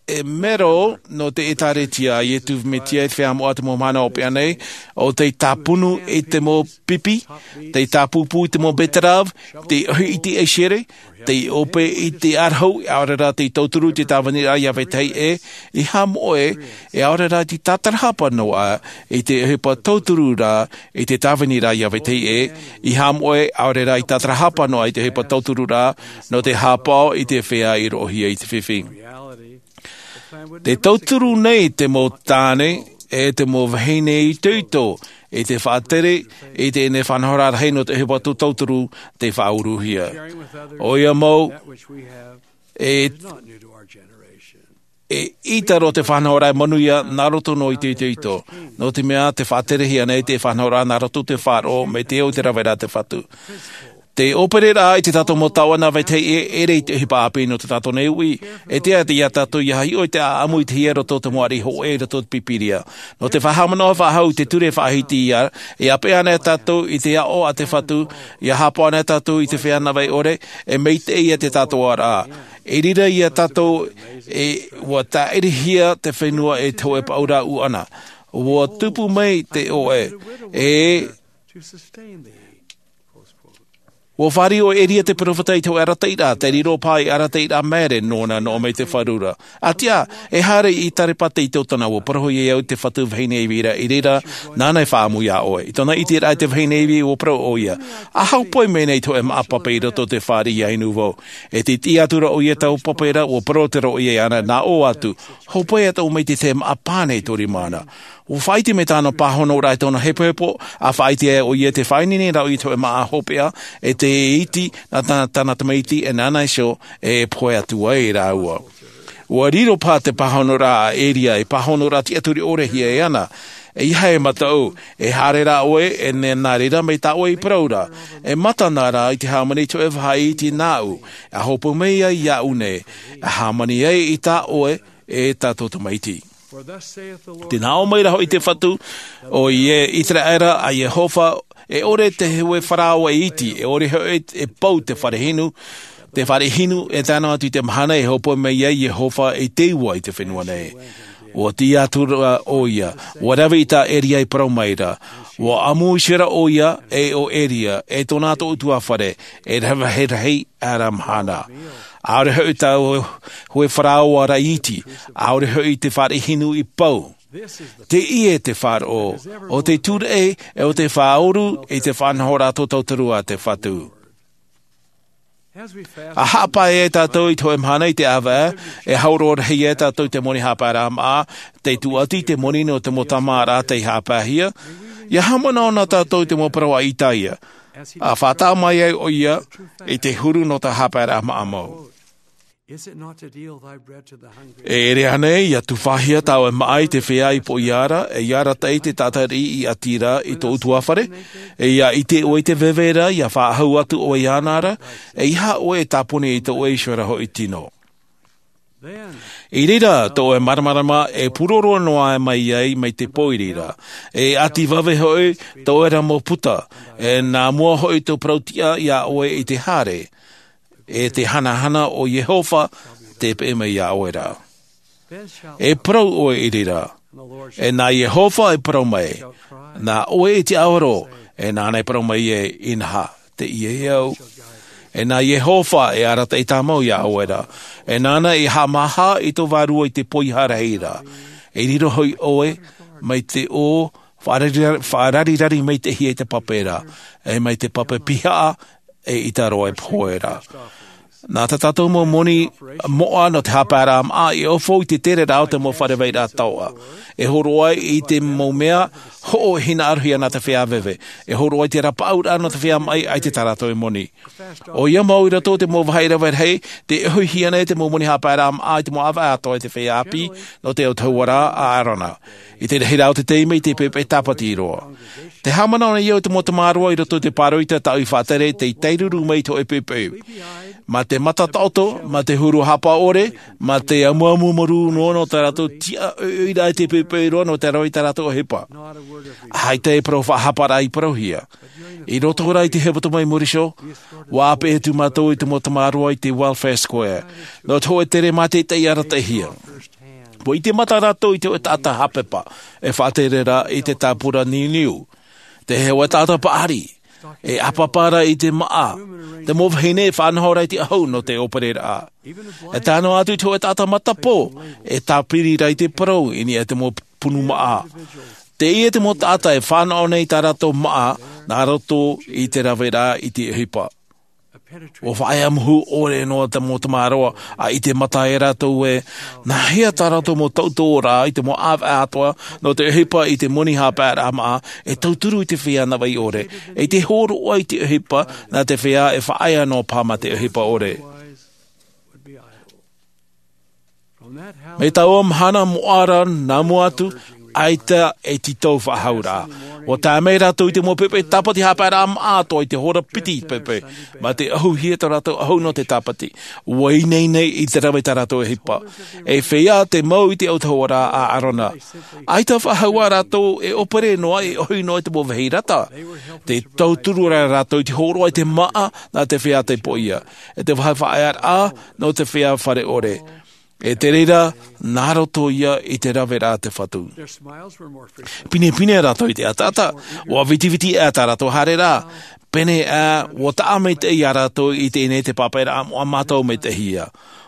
e mero nō te ʻĒtārētia a Iesu Mesia i te feiā moʻa te mau mahana hopeʻa nei, ʻo tei tāpunu i te mau pipi, tei tāpūpū i te mau betterave, tei ʻohi i te ʻaisere, tei ʻope i te ʻarahu, ʻaore rā tei tauturu i te tāviniraʻa iā vetahi ʻē, ʻeiaha moʻe, e ʻaore rā tei tātarahapa noa i te ʻohipa tauturu ra i te tāviniraʻa iā vetahi ʻē, ʻeiaha moʻe, ʻaore rā i tātarahapa noa i te ʻohipa tauturu ra nō te haʻapaʻo i te feiā i roʻohia i te fifi. Te tauturu nei te mau tāne e te mau vahine itoito i te faʻatere i teie faʻanahoraʻa rahi nō te ʻohipa tauturu tei faʻauruhia. ʻOia mau, e, e ʻita roa te faʻanahoraʻa e manuia nā roto noa i te itoito. Nō te mea tē faʻaterehia nei te faʻanahoraʻa nā roto i te faʻaroʻo mai te au i te raveraʻa a te Fatu. Te ʻōpereraʻa i tā tātou mau taoʻa nā vetahi ʻē, e ʻere i te ʻohipa ʻāpī nō tā tātou nei uʻi. E tiʻa iā tātou ia hiʻo i te ʻāʻamu i te hiʻo i roto i te mau ariʻi hōʻē i roto i te Pīpīria. Nō te faʻahaʻamanaʻo faʻahou i te ture faʻahiti ia, e ʻāpeʻe ana iā tātou i te aʻo a te Fatu, ia haʻapaʻo ana iā tātou i te feiā navaʻi ʻore, e maitaʻi ia te tātōʻaraʻa. I reira ia tātou, e, ua tāʻirihia te fenua e te hōʻē paʻuraʻa ʻuʻana. Ua tupu mai te ʻoʻe, e, ua fāriʻi ʻo Eria te peropheta i te hōʻē arataʻiraʻa, tei riro paha i arataʻiraʻa maere nōna noa mai te fārura. ʻA tiʻa, e haere i Sarepata i Ierutarema, ua parau iāʻu te fatu vahine Ivi ra, i reira, nāna e faʻaʻamu iā ʻoe. I tōna ʻiteraʻa i te vahine Ivi, ua parau ʻoia, ʻa hōpoi mai nei i te hōʻē māʻa pape i roto i te fāriʻi ia inu vau. E tei tiʻa atu ra ʻoia i taua pape ra, ua parau atu ra ʻoia iāna, nā ʻō atu, hōpoi atu mai i te tahi māʻa pāne i tō rima na. Ua faʻaʻite mai tāna pāhonoraʻa i tōna hepohepo, ʻa faʻaʻite ai ʻoia tē faʻaineine ra ʻoia i te hōʻē māʻa hopeʻa, e tē iti nā tā-, tāna tamaiti, e nāna iho e pohe atu ai rāua. Ua riro paha te pāhonoraʻa a Eria ei pāhonoraʻa tiʻaturi ʻore hia e ana. ʻEiaha e mataʻu, e haere rā ʻoe, e nā reira mai tā ʻoe i parau ra. E mata na rā i te hāmani i te hōʻē vāhi iti nāʻu, ʻa hōpoi mai ai iāʻu nei, ʻa hāmani ai i tā ʻoe, e tā tō tamaiti. Tē nā ʻō mai ra hoʻi te Fatu, ʻo Ie-, ʻĪteraʻera a Iehova, e ʻore te hōʻē faraoa e iti, e ʻore hoʻi e pau te fare hinu, te fare hinu, e tae noa atu i te mahana e hōpoi mai ai Iehova i te ua i te fenua nei. Ua tiʻa atu ra ʻoia, ua rave i tā Eria i parau mai ra, ua ʻamu iho ra ʻoia, e ʻo Eria, e tōna atoʻa ʻutuāfare, e rave rahi, ʻara mahana. ʻAore hoʻi taua hōʻē faraoa ra i iti, ʻaore hoʻi te fare hinu i pau. Teie te faʻaroʻo, ʻo te tūraʻi, e ʻo te faʻaoru, i te faʻanahoraʻa tauturu a te Fatu. ʻA haʻapae ai tātou i te hōʻē mahana i te ʻāvaʻe, e hauroa rahi ai tātou i te moni haʻapaeraʻa māʻa, tei tuʻati te moni nō te mau tāmāʻaraʻa tei haʻapaehia, ʻia haʻamanaʻo na tātou i te mau parau a Isaia. ʻA faʻataʻa mai ai ʻoia i te huru nō te haʻapaeraʻa māʻa mau. E ʻere ānei, ʻia tufaʻahia taua māʻa i te feiā i poʻia ra, e ʻia arataʻi te taʻata riʻi i ʻati ra i tō ʻutuāfare, e ʻia ʻite ʻoe i te veve ra, ʻia faʻahou atu ʻoe iāna ra, ʻeiaha ʻoe e tāpuni i tō ʻoe iho ra hoʻi tino. I reira tō ʻoe māramarama e pūroro noa mai ai mai te pō i reira. E ʻati vave hoʻi tō ʻoe ra mau puta. E nā mua hoʻi tō parau tiʻa iā ʻoe i te haere. E te hanahana o Iehova te peʻe mai iā ʻoe ra. E parau ʻoe i reira. E nā Iehova e parau mai. Nā ʻoe i te aoro. E nāna e parau mai e inaha. Te ia e au. E nā Iehova e arataʻi tāmau iā ʻoe ra. E nāna e haʻamāha i tō vārua i te poiha rahi ra. E riro hoʻi ʻoe mai te ʻō faʻarari-, faʻararirari mai te hia i te pape ra. E mai te pape pihaʻa e ʻita roa e pohe ra. Nā tā tātou mau moni moʻa nō te haʻapaeraʻa māʻa i ʻōfou i te tere rā o te mau fare vairaʻa taoʻa. E hōroʻa i te mau mea hoʻo e hinaʻarohia nā te feiā veve. E hōroʻa i te rapaʻauraʻa nō te feiā maʻi ʻaita tā rātou e moni. ʻOia mau i roto o te mau vāhi rave rahi, te ʻohihia nei te mau moni haʻapaeraʻa māʻa i te mau ʻāvaʻe atoʻa i te feiā ʻāpī nō te autahuʻaraʻa a ʻĀrona. I te rahiraʻa o te taime i te poʻipoʻi tāpati roa. Te haʻamanaʻo nei au i te mau tamāroa i roto i te pāroita taʻu i faʻatere tei tairuru mai i te hōʻē poʻipoʻi. Mā te mata taʻoto, mā te huru hapa ʻore, mā te amuamu marū noa nō tā rātou tiʻa ʻoiʻoiraʻa i te poʻipoʻi roa nō te rave i tā rātou ʻohipa. ʻAita e parau faʻahaparaʻa i parauhia. I roto rā i te hepetoma i muri iho, ʻua ʻāpeʻe atu mātou i te mau tamāroa i te Welfare Square. Nō te hōʻē tere mātaʻitaʻi arataʻihia. ʻUa ʻite mata rātou i te hōʻē taʻata hāpepa, e faʻatere ra i te tāpura niuniu. Te hōʻē taʻata paʻari, e ʻāpapa ra i te māʻa. Te mau vahine e faʻanaho ra i te ʻahu nō te ʻōpereraʻa. E tae noa atu i te hōʻē taʻata matapō, e tāpiri ra i te parau i niʻa i te mau punu māʻa. Teie te mau taʻata e fānaʻo nei i tā rātou māʻa, nā roto i te raveraʻa i te ʻohipa. ʻUa faʻaea mōhū ʻore noa te mau tamāroa, ʻa ʻite mata e rātou ē, nāhea tā rātou mau tautooraʻa i te mau ʻāvaʻe atoʻa, nō te ʻohipa i te moni haʻapaeraʻa māʻa, e tauturu i te feiā navaʻi ʻore, e i te hōroʻa i te ʻohipa, nā te feiā e faʻaea noa paha mā te ʻohipa ʻore. Mai taua mahana moʻa ra nā mua atu, ʻaita e tītau faʻahou ra. ʻUa tae mai rātou i te mau poʻipoʻi tāpati haʻapaeraʻa māʻa atoʻa i te hora piti i te poʻipoʻi. Mā te ʻahuhia tō rātou ʻahu nō te tāpati. ʻUa ineine i te rave tā rātou ʻohipa. E feiā te mau i te autahuʻaraʻa a ʻĀrona. ʻAita faʻahou ā rātou e ʻōpere noa, e ʻohi noa i te mau vāhi rata. Tē tauturu ra rātou i te hōroʻa i te māʻa nā te feiā taipoʻia. E te vāhi faʻaearaʻa nō te feiā fare ʻore. E te reira, nā roto ia i te raveraʻa a te Fatu. Pinepine rātou i te ʻataʻata, ʻua vitiviti aʻe tā rātou haereraʻa. Pēneiaʻe, ʻua taʻa maitaʻi ia rātou i teie nei te pāpaʻiraʻa moʻa mātau maitaʻihia.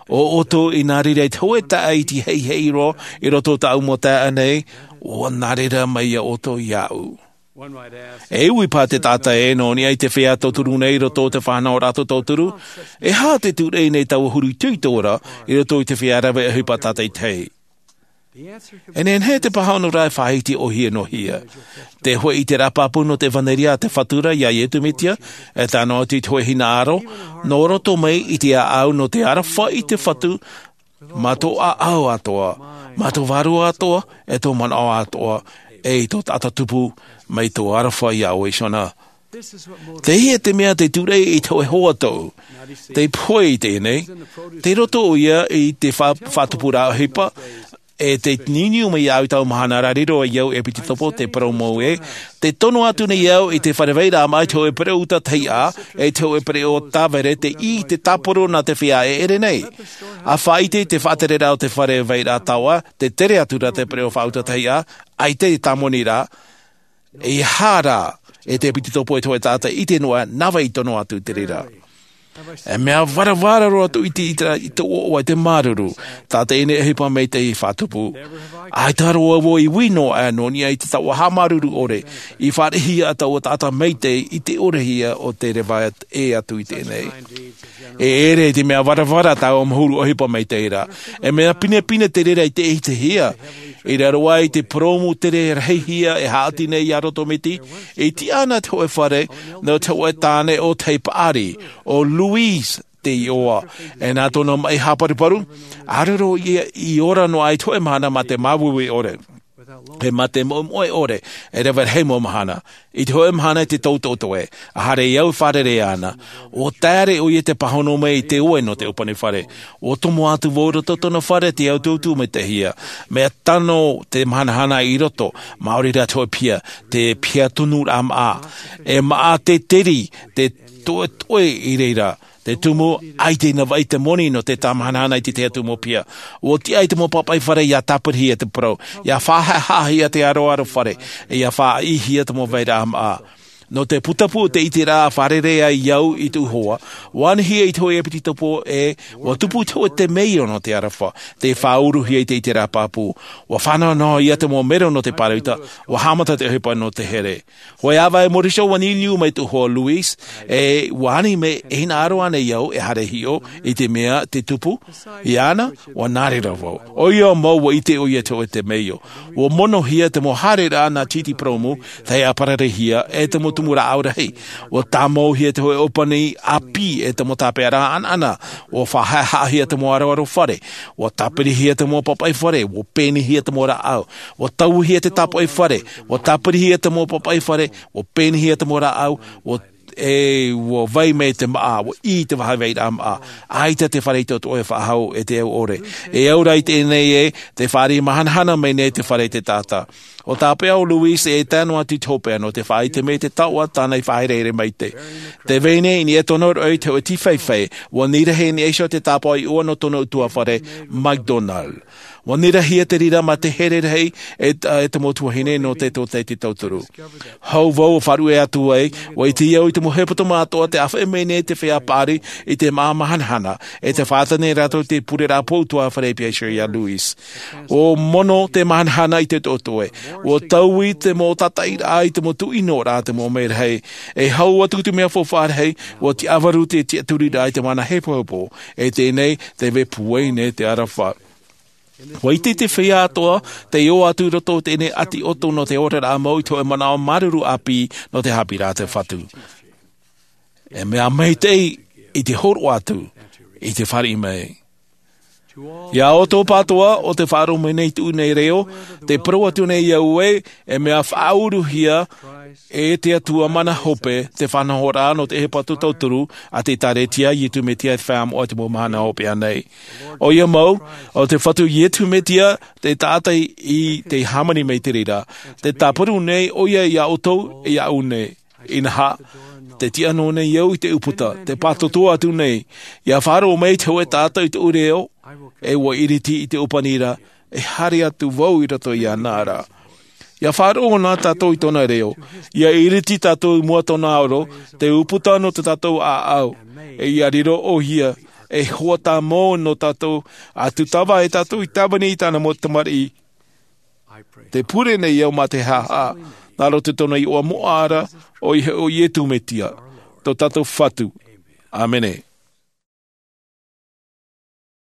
ʻO ʻoutou i nā reira i te hōʻē taʻata iti heihei roa i roto i tāʻu mau taeaʻe nei, ʻua nā reira mai ia ʻoutou iāʻu. E ui paha te taʻata ē, nō niʻa i te feiā tauturu nei i roto i te fānaʻoraʻa tauturu, e aha te tūraʻi nei taua huru itoito ra i roto i te feiā rave ʻohipa tātaʻitahi? E nehenehe te pāhonoraʻa e faʻahiti ʻōhie noa hia. Te hōʻē ʻiteraʻa pāpū nō te ʻevanelia a te Fatu ra iā Iesu Mesia, e tae noa atu i te hōʻē hinaʻaro, nō roto mai i te ʻāʻau nō te aroha i te Fatu, mā tō ʻāʻau atoʻa, mā tō vārua atoʻa, e tō manaʻo atoʻa, e i tō taʻata tupu, mai tō aroha iā ʻoe iho na. Teie te mea te tūraʻi i te hōʻē hoa tau. Tē pohe i teie nei, tei roto ʻoia i te fa-, faʻatupuraʻa ʻohipa, e tē niuniu mai iāʻu i taua mahana ra, riro ai au e ʻEpiteropo, tē parau mau ē, tē tono atu nei au i te fare vairaʻa māʻa i te hōʻē pereʻoʻo ʻutaʻa, e te hōʻē pereʻoʻo tāvere, tei ʻī i te tāporo nā te feiā e ʻere nei. ʻA faʻaʻite i te faʻatereraʻa o te fare vairaʻa taoʻa, tē tere atu ra te pereʻoʻo faʻaʻutaʻa, ʻaita e tāmoni ra, e aha rā, e te ʻEpiteropo, e te hōʻē taʻata ʻite noa, nāvai i tono atu i te reira. E mea varavara roa tō ʻite i te, i tō ʻoaʻoa i te māuruuru, tā teie nei ʻohipa maitaʻi faʻatupu. ʻAita roa vau i ui noa aʻe nō niʻa i te taoʻa haʻamāuruuru ʻore, i fāriʻihia ʻa taua taʻata maitaʻi i te ʻorehia o te reva ʻē atu i teie nei. E ʻere i te mea varavara taua mau huru ʻohipa maitaʻi ra. E mea pinepine te reira i te ʻitehia. I raro aʻe i te purōmu tere rahihia e haʻati nei iā Roto Miti, i tiʻa ana te hōʻē fare, nō te hōʻē tāne ʻōtahi paʻari, ʻo Louise te iʻoa. E nā tōna maʻi haparuparu, ʻāreʻa ia i ora noa aʻe i te hōʻē mahana mā te māuiui ʻore. He mā te moʻemoʻe ʻore e rave rahi mau mahana. I te hoʻe mahana i te tautoʻotoʻe, a haere au e fārerei ana, ua taere ʻoia te pāhono mai i te ue nō te ʻōpani fare. Ua tomo atu vau i roto tōna fare te autūtū mai te hia. Mea tano te mahanahana i roto, maori rā te hoʻe piha, te piha tonu rā maʻa. E maʻa te teri, te toʻetoʻe i reira. Te tumu, ʻaita i nā vaʻi te moni nō te tāmahanahana i te tahi atu mau piha. Ua tiʻa i te mau papaʻi fare ia tāpirihia te parau, ia faʻahaʻahaʻahia te aroaro fare, ia faʻaʻihia te mau vairaʻa maʻa. Nō te putapū o te ʻiteraʻa fārerei ai au i te uhoa, ua anihia i te hoʻe epititopo e, ua tupu i te hoʻe temeio nō te aroha, te faʻauruhia i te ʻiteraʻa pāpū. Ua fānaunauhia te mau mero nō te pāroita, ua haʻamata te ʻohipa nō te here. Hoʻi ʻāvae mōriso ua niuniu mai te uhoa o luis, e ua ani mai e hinaʻaro ana i au e haere hiʻo, i te mea te tupu iāna, ua nā reira vau. ʻOia mau ua ʻite ʻoia te hoʻe temeio. Ua monohia te mau haereraʻa nā titi purōmu, tahi ʻāpararehia e te mau tumu rāʻau rahi. Ua tāmauhia te hoʻe ʻōpani ʻāpī e te mau tāpeʻaraʻa ʻanaʻana. Ua faʻahaʻahaʻahia te mau aroaro fare. Ua tāpirihia te mau papaʻi fare, ua pēnihia te mau rāʻau. Ua tauihia te tāpoʻi fare, ua tāpirihia te mau papaʻi fare, ua pēnihia te mau rāʻau, ua, e, ua vai mai te maʻa, ua ʻī te vahaʻa vairaʻa maʻa. ʻAita te fare i te toʻotoʻo e faʻahou e te au ʻore. E au rā i teie nei e, te fāriʻi mahanahana mai nei te fare i te taʻata. ʻO tāpeʻa ʻo luis e tae noa atu i te hopeʻa nō te faʻaʻite mai i te taoʻa tāna i faʻaherehere mai te. Te vai nei i niʻa i tōna roʻi te hoʻe tīfaifai, ua nirahi i niʻa iho te tāpaʻo iʻoa nō tōna ʻutuāfare, MacDonald. Ua nirahia te reira mā te here rahi e, e te mau tuahine nō te tōtaiete tauturu. Hou vau ʻo faʻaruʻe atu ai, ua ʻite au i te mau hepetoma atoʻa te ʻāfaʻi mai nei te feiā paʻari i te maʻa mahanahana, e te faʻaʻite nei rātou te pureraʻa pou ʻutuāfare i Piaʻi Sherry iā Luis. ʻO mono te mahanahana i te toʻotoʻo e, ua taui te mau tātaʻiraʻa i te mau tuʻinoraʻa te mau mea rahi, e hau atu te mea faufaʻa rahi, ua tiʻavaru te tiʻaturiraʻa i te mana hepohepo, e teie nei, te vai pūai nei te aroha. Ua ʻite te feiā atoʻa, tei ō atu i roto i teie nei ʻati ʻoto nō te oraraʻa mau i te hoʻe manaʻo māuruuru ʻāpī nō te haʻapiʻiraʻa a te Fatu. E mea maitaʻi i te hōroʻa atu, i te fāriʻi mai. Iā ʻoutou pātoa, ʻo tē faʻaroʻo mai nei i tōʻu nei reo, tē parau atu nei au ē, e mea faʻauruhia e te Atua mana hope, te faʻanahoraʻa nō te ʻohipa tauturu a te ʻĒkālesia a Iesu Mesia i te feiā moʻa i te mau mahana hopeʻa nei. ʻOia mau, ʻo te Fatu Iesu Mesia te taʻata i tei hāmani mai i te reira. Tē tāparu nei ʻoia iā ʻoutou, iāʻu nei. Inaha, tē tiʻa noa nei au i te ʻūputa, tē pātotoa atu nei, ʻia faʻaroʻo mai te hōʻē taʻata i tōʻu reo, e ʻua ʻiriti i te ʻōpani ra, e haere atu vau i roto iāna ra. ʻIa faʻaroʻo na tātou i tōna reo, ʻia ʻiriti tātou i mua i tōna aro, te ʻūputa nō tō tātou ʻāʻau, e ʻia riro ʻoia ei hoa tāmau nō tātou, ʻa tūtava ai tātou i tāvini i tāna mau tamariʻi. Tē pure nei au mā te haʻahaʻa, nā roto i tōna iʻoa moʻa ra, ʻoia hoʻi ʻo Iesu Mesia, tō tātou Fatu. ʻĀmene.